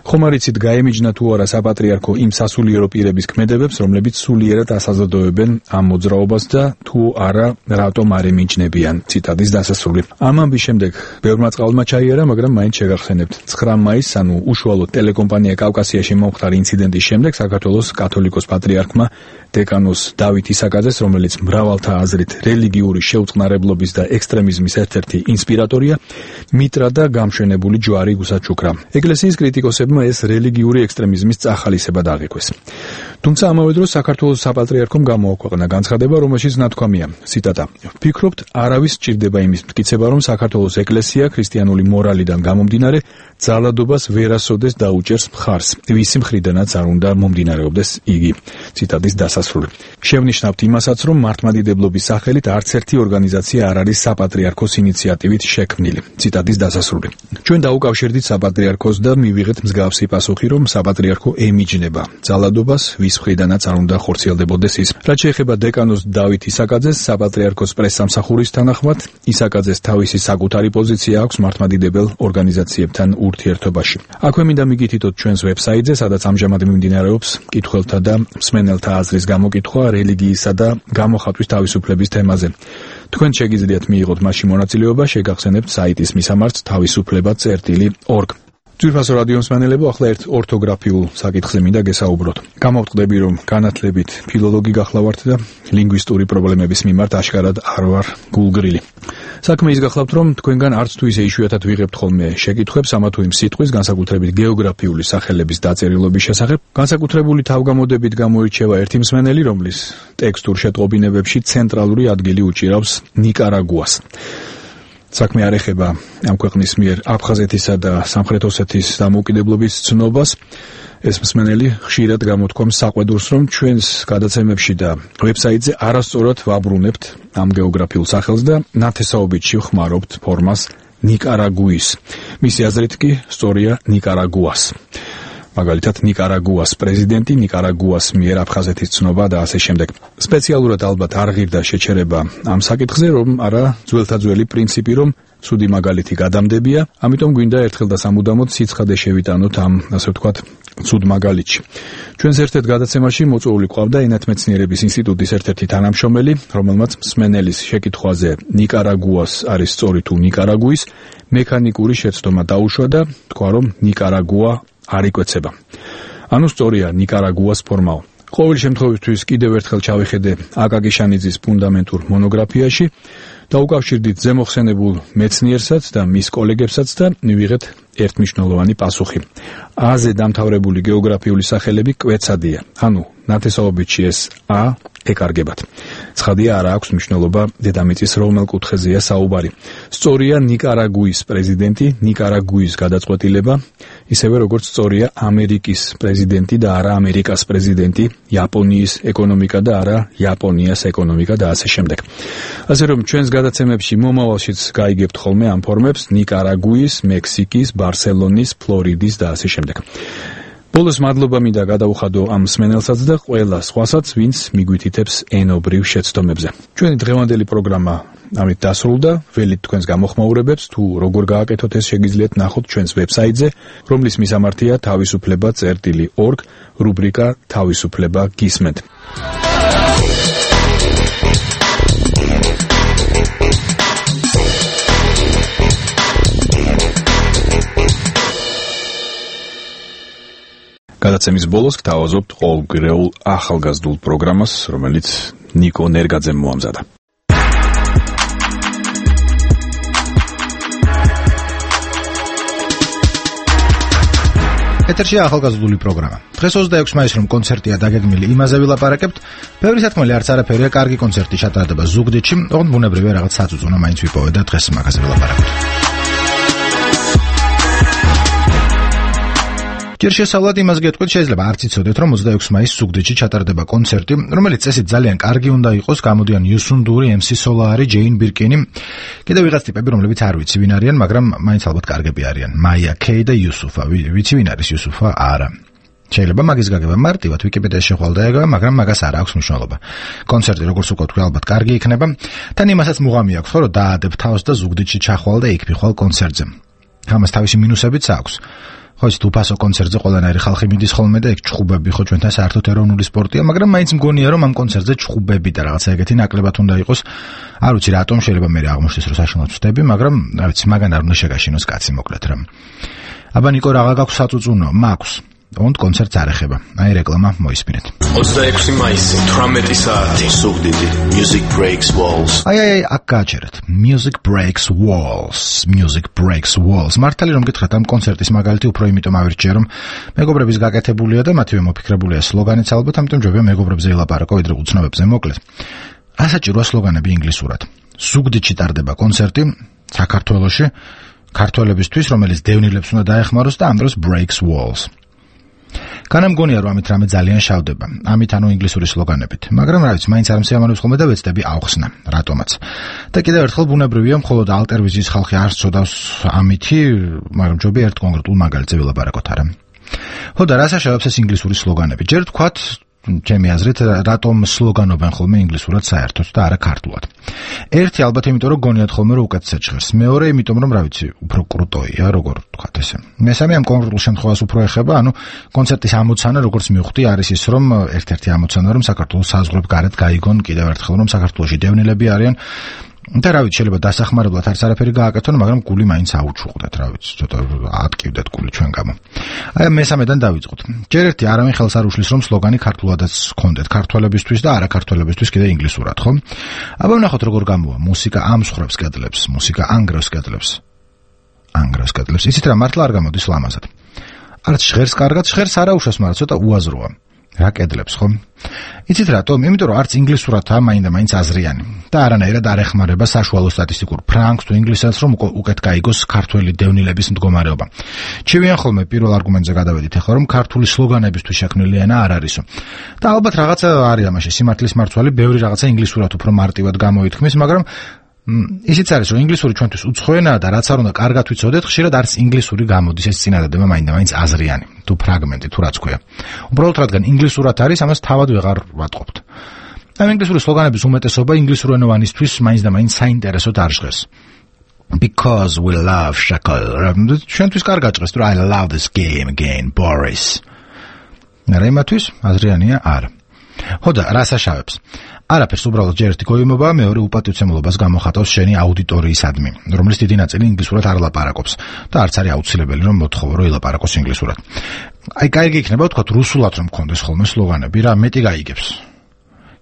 ხომ არ იცით გაემიჯნა თუ არა საპატრიარქო იმ სასულიერო პირების ქმედებებს, რომლებიც სულიერად ასაზრდოებენ ამ მოძრაობას და თუ არა რატომ არ ემიჯნებიან? ციტატის დასასრული. ამ ამბის შემდეგ ბევრმა წყალმა ჩაიარა, მაგრამ მაინც შეგახსენებთ. ცხრა მაისს, ანუ უშუალოდ ტელეკომპანია კავკასიაში მომხდარ ინციდენტის შემდეგ საქართველოს კათოლიკოს პატრიარქმა დეკანოს დავით ისაკაძეს, რომელიც მრავალთა აზრით რელიგიური შეუწყნარებლობის და ექსტრემიზმის ერთ-ერთი ინსპირატორია, მიტრა და გამშვენებული ჯვარი გუსაჩუქრა. ეკლესიის კრიტიკოსებმა ეს რელიგიური ექსტრემიზმის წახალისებად აღიქვეს. თუმცა ამავე დროს საქართველოს საპატრიარქომ გამოაქვეყნა განცხადება, რომელშიც ნათქვამია, ციტატა: "ვფიქრობთ, არავის სჭირდება იმის მტკიცება, რომ საქართველოს ეკლესია ქრისტიანული მორალიდან გამომდინარე ძალადობას ვერასოდეს დაუჭერს მხარს, ვისი მხრიდანაც არ უნდა მომდინარეობდეს იგი." ციტატის დასასრული. შევნიშნავთ იმასაც, რომ მართლმადიდებლობის სახელით არც ერთი ორგანიზაცია არ არის საპატრიარქოს ინიციატივით შექმნილი. ციტატის დასასრული. ჩვენ დაუკავშირდით საპატრიარქოს და მივიღეთ მსგავსი პასუხი, რომ საპატრიარქო ემიჯნება ძალადობას, ვის მხრიდანაც არ უნდა ხორციელდებოდეს ის. რაც შეეხება დეკანოზ დავით ისაკაძეს, საპატრიარქოს პრესსამსახურის თანახმად, ისაკაძეს თავისი საკუთარი პოზიცია აქვს მართლმადიდებელ ორგანიზაციებთან ურთიერთობაში. აქვე მინდა მიგითითოთ ჩვენს ვებსაიტზე, სადაც ამჟამად მიმდინარეობს მკითხველთა და მსმენელთა აზრის გამოკითხვა რელიგიისა და გამოხატვის თავისუფლების თემაზე. თქვენ შეგიძლიათ მიიღოთ მასში მონაწილეობა, შეგახსენებთ საიტის მისამართს თავისუფლება წერტილი ორგ. ძვირფასო რადიო მსმენელებო, ახლა ერთ ორთოგრაფიულ საკითხზე მინდა გესაუბროთ. გამოვტყდები, რომ განათლებით ფილოლოგი გახლავართ და ლინგვისტური პრობლემების მიმართ აშკარად არ ვარ გულგრილი. საქმე ის გახლავთ, რომ თქვენგან არც თუ ისე იშვიათად ვიღებთ ხოლმე შეკითხვებს ამა თუ იმ სიტყვის, განსაკუთრებით გეოგრაფიული სახელების დაწერილობის შესახებ. განსაკუთრებული თავგამოდებით გამოირჩევა ერთი მსმენელი, რომლის ტექსტურ შეტყობინებებში ცენტრალური ადგილი უჭირავს ნიკარაგუას. საქმე არ ეხება ამ ქვეყნის მიერ აფხაზეთისა და სამხრეთ ოსეთის დამოუკიდებლობის ცნობას. ეს მსმენელი ხშირად გამოთქვამს საყვედურს, რომ ჩვენს გადაცემებში და ვებსაიტზე არასწორად ვაბრუნებთ ამ გეოგრაფიულ სახელს და ნათესაობით შევხმარობთ ფორმას ნიკარაგუის. მისი აზრით კი სწორია ნიკარაგუას. მაგალითად ნიკარაგუას პრეზიდენტი, ნიკარაგუას მიერ აფხაზეთის ცნობა და ასე შემდეგ. სპეციალურად ალბათ არ ღირდა შეჩერება ამ საკითხზე, რომ არა ძველთა ძველი პრინციპი, რომ ცუდი მაგალითი გადამდებია, ამიტომ გვინდა ერთხელ და სამუდამოდ სიცხადე შევიტანოთ ამ, ასე ვთქვათ, ცუდ მაგალითში. ჩვენს ერთ-ერთ გადაცემაში მოწვეული ყავდა ენათმეცნიერების ინსტიტუტის ერთ-ერთი თანამშრომელი, რომელმაც მსმენელის შეკითხვაზე ნიკარაგუას არის სწორი თუ ნიკარაგუის მექანიკური შეცდომა დაუშვა და თქვა, რომ ნიკარაგუა არ იკვეცება. ანუ სწორია ნიკარაგუას ფორმაო. ყოველ შემთხვევისთვის კიდევ ერთხელ ჩავიხედე აკაკი შანიძის ფუნდამენტურ მონოგრაფიაში, დაუკავშირდით ზემოხსენებულ მეცნიერსაც და მის კოლეგებსაც და მივიღეთ ერთმნიშვნელოვანი პასუხი. A-ზე დამთავრებული გეოგრაფიული სახელები კვეცადია. ანუ ნათესაობითში ეს A ეკარგებათ. ცხადია, არ აქვს მნიშვნელობა დედამიწის რომელ კუთხეზეა საუბარი. სწორია ნიკარაგუის პრეზიდენტი, ნიკარაგუის გადაწყვეტილება, ისევე როგორც სწორია ამერიკის პრეზიდენტი და არა ამერიკას პრეზიდენტი, იაპონიის ეკონომიკა და არა იაპონიას ეკონომიკა და ასე შემდეგ. ასე რომ ჩვენს გადაცემებში მომავალშიც გაიგებთ ხოლმე ამ ფორმებს ნიკარაგუის, მექსიკის, ბარსელონის, ფლორიდის და ასე შემდეგ. ბოლოს მადლობა მინდა გადაუხადო ამ მსმენელსაც და ყველა სხვასაც, ვინც მიგვითითებს ენობრივ შეცდომებზე. ჩვენი დღევანდელი პროგრამა ამით დასრულდა. ველით თქვენს გამოხმაურებებს, თუ როგორ გააკეთოთ ეს შეგიძლიათ ნახოთ ჩვენს ვებსაიტზე, რომლის მისამართია თავისუფლება წერტილი ორგ, რუბრიკა თავისუფლება გისმენთ. გადაცემის ბოლოს გთავაზობთ ყოველგვირეულ ახალგაზრდულ პროგრამას, რომელიც ნიკო ნერგაძემ მოამზადა. ეთერშია ახალგაზრდული პროგრამა. დღეს ოცდაექვსი მაისს რომ კონცერტია დაგეგმილი, იმაზე ვილაპარაკებთ. ბევრი სათქმელი არც არაფერია, კარგი კონცერტი ჩატარდება ზუგდიდში, ოღონდ ბუნებრივია რაღაც საწუწუნო მაინც ვიპოვე და დღეს მაგაზე ვილაპარაკებთ. ჯერ შესავლად იმას გეტყვით, შეიძლება არ იცოდეთ, რომ ოცდაექვსი მაისს ზუგდიდში ჩატარდება კონცერტი, რომელიც წესით ძალიან კარგი უნდა იყოს, გამოდიან იუსუნდური, ემსი სოლარი, ჯეინ ბირკინი, კიდევ ვიღაც ტიპები, რომლებიც არ ვიცი ვინ არიან, მაგრამ მაინც ალბათ კარგები არიან. მაია კეი და იუსუფა, ვიცი ვინ არის იუსუფა? არა. შეიძლება მაგის გაგება მარტივად ვიკიპედიაში შეხვალ დაეგება, მაგრამ მაგას არ აქვს მნიშვნელობა. კონცერტი, როგორც უკვე თქვი, ალბათ კარგი იქნება. თან იმასაც მუღამი აქვს, ხო, რომ დაადებ თავს და ზუგდიდში ჩახვალ და იქ ფიხვალ კონცერტზე. ამას თავისი მინუსებიც აქვს. ხო, ის თუფასო კონცერტზე ყველანაირი ხალხი მიდის ხოლმე და ეგ ჩხუბები ხო ჩვენთან საერთოდ ეროვნული სპორტია, მაგრამ მაინც მგონია რომ ამ კონცერტზე ჩხუბები და რაღაცა ეგეთი ნაკლებად უნდა იყოს. არ ვიცი რატომ, შეიძლება მე აღმოჩნდეს რომ საშინლად ვწდები, მაგრამ რა ვიცი, მაგან არ უნდა შეგაშინოს კაცი მოკლედ რა. აბა ნიკო, რაღა გაქვს საწუწუნო? მაქვს. ოღონდ კონცერტს არ ეხება. აი რეკლამა მოისმინეთ. ოცდაექვსი მაისი, თვრამეტი საათი, ზუგდიდი, Music Breaks Walls. აი აი აქ გააჩერეთ. Music Breaks Walls. Music Breaks Walls. მართალი რომ გითხრათ, ამ კონცერტის მაგალითი უფრო იმიტომ ავირჩიე, რომ მეგობრების გაკეთებულია და მათივე მოფიქრებულია სლოგანიც ალბათ, ამიტომ ჯობია მეგობრებზე ილაპარაკო, ვიდრე უცნობებზე მოკლედ. ასაჭიროა სლოგანები ინგლისურად. ზუგდიდში ტარდება კონცერტი საქართველოში, ქართველებისთვის, რომელიც დევნილებს უნდა დაეხმაროს და ამ დროს Breaks Walls. კანა მგონია რომ ამით რამე ძალიან შავდება. ამით ანუ ინგლისური სლოგანებით. მაგრამ რა ვიცი, მაინც არ მსიამოვნებს ხოლმე და ვეცდები ავხსნა, რატომაც. და კიდევ ერთხელ ბუნებრივია, მხოლოდ ალტერვიზიის ხალხი არ სწოდავს ამითი, მაგრამ ჯობია ერთ კონკრეტულ მაგალითზე ვილაპარაკოთ არა. ხო და რას აშავებს ეს ინგლისური სლოგანები? ჯერ თქვათ ჩემი აზრით, რატომ სლოგანობენ ხოლმე ინგლისურად საერთოდ და არა ქართულად. ერთი ალბათ იმიტომ რომ გონიათ ხოლმე რომ უკეთესად ჟღერს. მეორე იმიტომ რომ რა ვიცი, უფრო კრუტოია, როგორ თქვათ ესე. მესამე ამ კონკრეტულ შემთხვევას უფრო ეხება, ანუ კონცერტის ამოცანა, როგორც მივხვდი, არის ის, რომ ერთ-ერთი ამოცანა რომ საქართველოს საზღვრებ გარეთ გაიგონ კიდევ ერთხელ რომ საქართველოში დევნილები არიან. და რა ვიცი, შეიძლება დასახმარებლად არც არაფერი გააკეთონ, მაგრამ გული მაინც აუჩუყდეთ, რა ვიცი, ცოტა ატკივდეთ გული ჩვენ გამო. აი მესამედან დავიწყოთ. ჯერ ერთი არავინ ხელს არ უშლის რომ სლოგანი ქართულადაც ჰქონდეთ, ქართველებისთვის და არაქართველებისთვის კიდე ინგლისურად, ხო? აბა ვნახოთ როგორ გამოვა. მუსიკა ამსხრობს კედლებს, მუსიკა ანგრევს კედლებს. ანგრევს კედლებს. იცით რა, მართლა არ გამოდის ლამაზად. არც ჟღერს კარგად, ჟღერს არა უშავს, მაგრამ ცოტა უაზროა. რა კედლებს, ხო? იცით რატომ? იმიტომ რომ არც ინგლისურადაა მაინდა-მაინც აზრიანი და არანაირად არ ეხმარება საშუალო სტატისტიკურ ფრანგს თუ ინგლისელს რომ უკეთ გაიგოს ქართველი დევნილების მდგომარეობა. ჩივიან ხოლმე პირველ არგუმენტზე გადავედით ახლა რომ ქართული სლოგანებისთვის შექმნილი ენა არ არისო. და ალბათ რაღაცა არის ამაში სიმართლის მარცვალი, ბევრი რაღაცა ინგლისურად უფრო მარტივად გამოითქმის, მაგრამ ისიც არის რომ ინგლისური ჩვენთვის უცხო ენაა და რაც არ უნდა კარგად ვიცოდეთ, ხშირად არც ინგლისური გამოდის ეს წინადადება მაინდა-მაინც აზრიანი თუ ფრაგმენტი თუ რაც ქვია. უბრალოდ რადგან ინგლისურად არის, ამას თავად ვეღარ ვატყობთ. ამ ინგლისური სლოგანების უმეტესობა ინგლისურენოვანისთვის მაინც-და-მაინც საინტერესოდ არ ჟღერს. Because we love Shakal. ჩვენთვის კარგად ჟღერს, რომ I love this game again, Boris. რა იმათვის? აზრიანია არა. ხო და რას აშავებს? არაფერს, უბრალოდ ჯერ ერთი გოიმობა, მეორე უპატივცემულობას გამოხატავს შენი აუდიტორიისადმი, რომლის დიდი ნაწილი ინგლისურად არ ლაპარაკობს და არც არის აუცილებელი რომ მოთხოვო რომ ელაპარაკოს ინგლისურად. აი, კაიგი იქნება ვთქვათ რუსულად რომ მქონდეს ხოლმე სლოგანები, რა მეტი გაიგებს.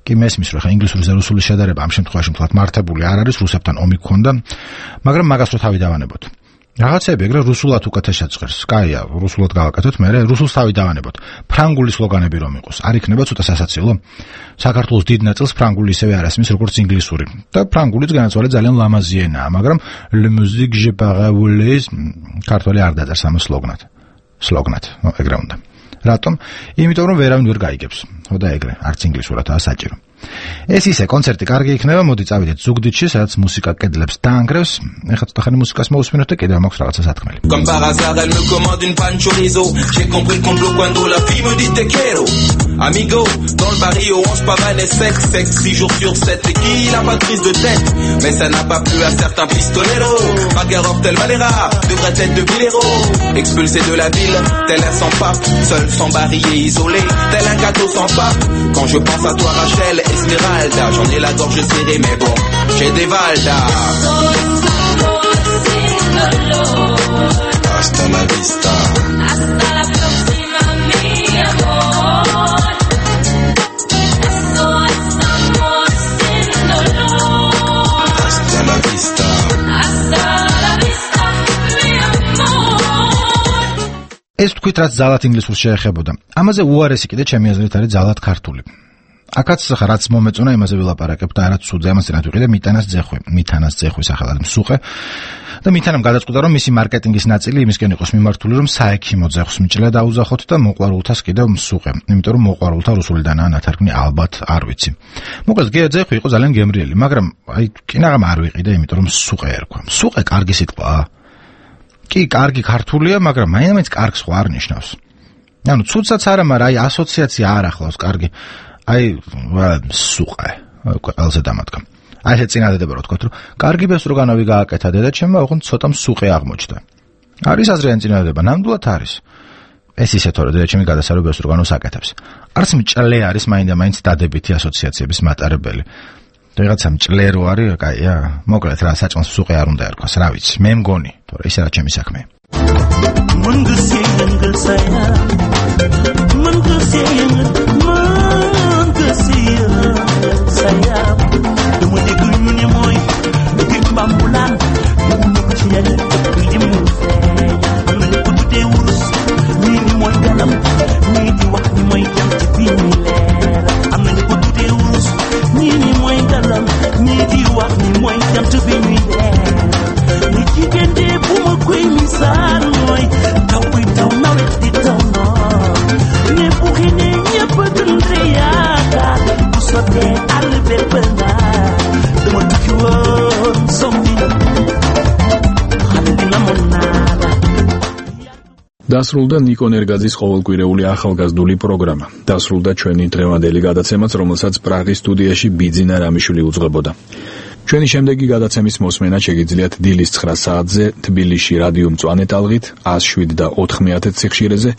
კი მესმის რომ ხა ინგლისურზე რუსული შედარება ამ შემთხვევაში ვთქვათ მართებული არ არის, რუსებთან ომი გქონდა, მაგრამ მაგას რო თავი დავანებოთ. რაღაცები ეგრე რუსულად უკეთესად ჟღერს. კაია, რუსულად გავაკეთოთ, მე რუსულს თავი დავანებოთ. ფრანგული სლოგანები რომ იყოს, არ იქნება ცოტა სასაცილო? საქართველოს დიდ ნაწილს ფრანგული ისევე არ ასმის როგორც ინგლისური. და ფრანგულიც განაცვალე ძალიან ლამაზი ენაა, მაგრამ le musique je parle ქართველი არ დაწერს ამ სლოგნად. სლოგნად, ეგრე უნდა. რატომ? იმიტომ რომ ვერავინ ვერ გაიგებს. ხო და ეგრე, არც ინგლისურადაა საჭირო. ეს ისე კონცერტი კარგი იქნება, მოდი წავიდეთ ზუგდიდში, სადაც მუსიკა კედლებს დაანგრევს. ეხლა ცოტა ხანი მუსიკას მოვუსმინოთ და კიდევ მაქვს რაღაცა სათქმელი. Comme par hasard, elle me commande une panne chorizo. J'ai compris le complot quand la fille me dit te quiero. Amigo, dans le barrio, on se pavane et sexe, sexe, six jours sur sept. Et qui n'a pas de prise de tête? Mais ça n'a pas plu à certains pistoleros. Makarov, tel Valera, devrait être de Villero. Expulsé de la ville, tel un sans pape. Seul, sans barillet, isolé, tel un gâteau sans pape. Quand je pense à toi, Rachel, Esmeralda, j'en ai la gorge serrée, mais bon, j'ai des Valdas. Hasta la vista. Hasta la próxima, mi amor. Eso es amor sin dolor. Hasta la vista. Hasta la vista, mi amor. ეს თქვით რაც ძალად ინგლისურს შეეხებოდა. ამაზე უარესი კიდე ჩემი აზრით არის ძალად ქართული. აქაც ხა რაც მომეწონა იმაზე ვილაპარაკებ და რაც სუძე ამას წინათ ვიყიდე მიტანას ძეხვი, მიტანას ძეხვი სახელად მსუყე და მიტანამ გადაწყვიტა რომ მისი მარკეტინგის ნაწილი იმისკენ იყოს მიმართული რომ საექიმო ძეხვს მიჭრა დაუზახოთ და მოყვარულთას კიდევ მსუყე, იმიტომ რომ მოყვარულთა რუსულიდანაა ნათარგმნი ალბათ არ ვიცი. მოკლედ გია ძეხვი იყო ძალიან გემრიელი, მაგრამ აი კინაღამ არ ვიყიდე, იმიტომ რომ მსუყე ერქვა. მსუყე კარგი სიტყვაა. კი, კარგი ქართულია, მაგრამ მაინც კარგს ხო არ ნიშნავს. ანუ ცუდსაც არა, მაგრამ აი ასოციაცია არ ახლავს კარგი. აი სუყე ყველაზე დამადგა. აი ეს წინადადება რო თქვა, რომ კარგი ბესტროგანოვი გააკეთა დედაჩემმა, ოღონდ ცოტა მსუყე აღმოჩნდა. არის აზრიანი წინადადება, ნამდვილად არის. ეს ისე თორე დედაჩემი გადასარო ბესტროგანოვს აკეთებს. არც მჭლე არის მაინდა-მაინც დადებითი ასოციაციების მატარებელი. რაღაცა მჭლე რო არის, კაია, მოკლედ რა საჭმელს მსუყე არ უნდა ერქვას, რა ვიცი, მე მგონი, თორე ისე რა ჩემი საქმე. Sayang, demu degu nyunye moy, degu bambulan, degu nyukchiyal, degu muse. Amene kutude urus, ni ni moy galam, ni di wax ni moy jam ci bini leer. Amene kutude urus, ni ni moy galam, ni di wax ni moy jam ci bini leer. Ni jigende bu ma koy misal moy, taw bi taw nawet di taw no. Ne bu xine ñepp დასრულდა ნიკო ნერგაძის ყოველკვირეული ახალგაზრდული პროგრამა. დასრულდა ჩვენი დღევანდელი გადაცემაც, რომელსაც პრაღის სტუდიაში ბიძინა რამიშვილი უძღვებოდა. ჩვენი შემდეგი გადაცემის მოსმენა შეგიძლიათ დილის ცხრა საათზე თბილისში რადიო მწვანე ტალღით ათას შვიდ და ოთხმეათე სიხშირეზე,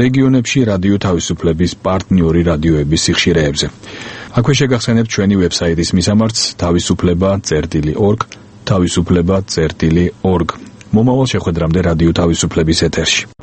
რეგიონებში რადიო თავისუფლების პარტნიორი რადიოების სიხშირეებზე. აქვე შეგახსენებთ ჩვენი ვებსაიტის მისამართს თავისუფლება წერტილი ორგ, თავისუფლება წერტილი ორგ. მომავალ შეხვედრამდე რადიო თავისუფლების ეთერში.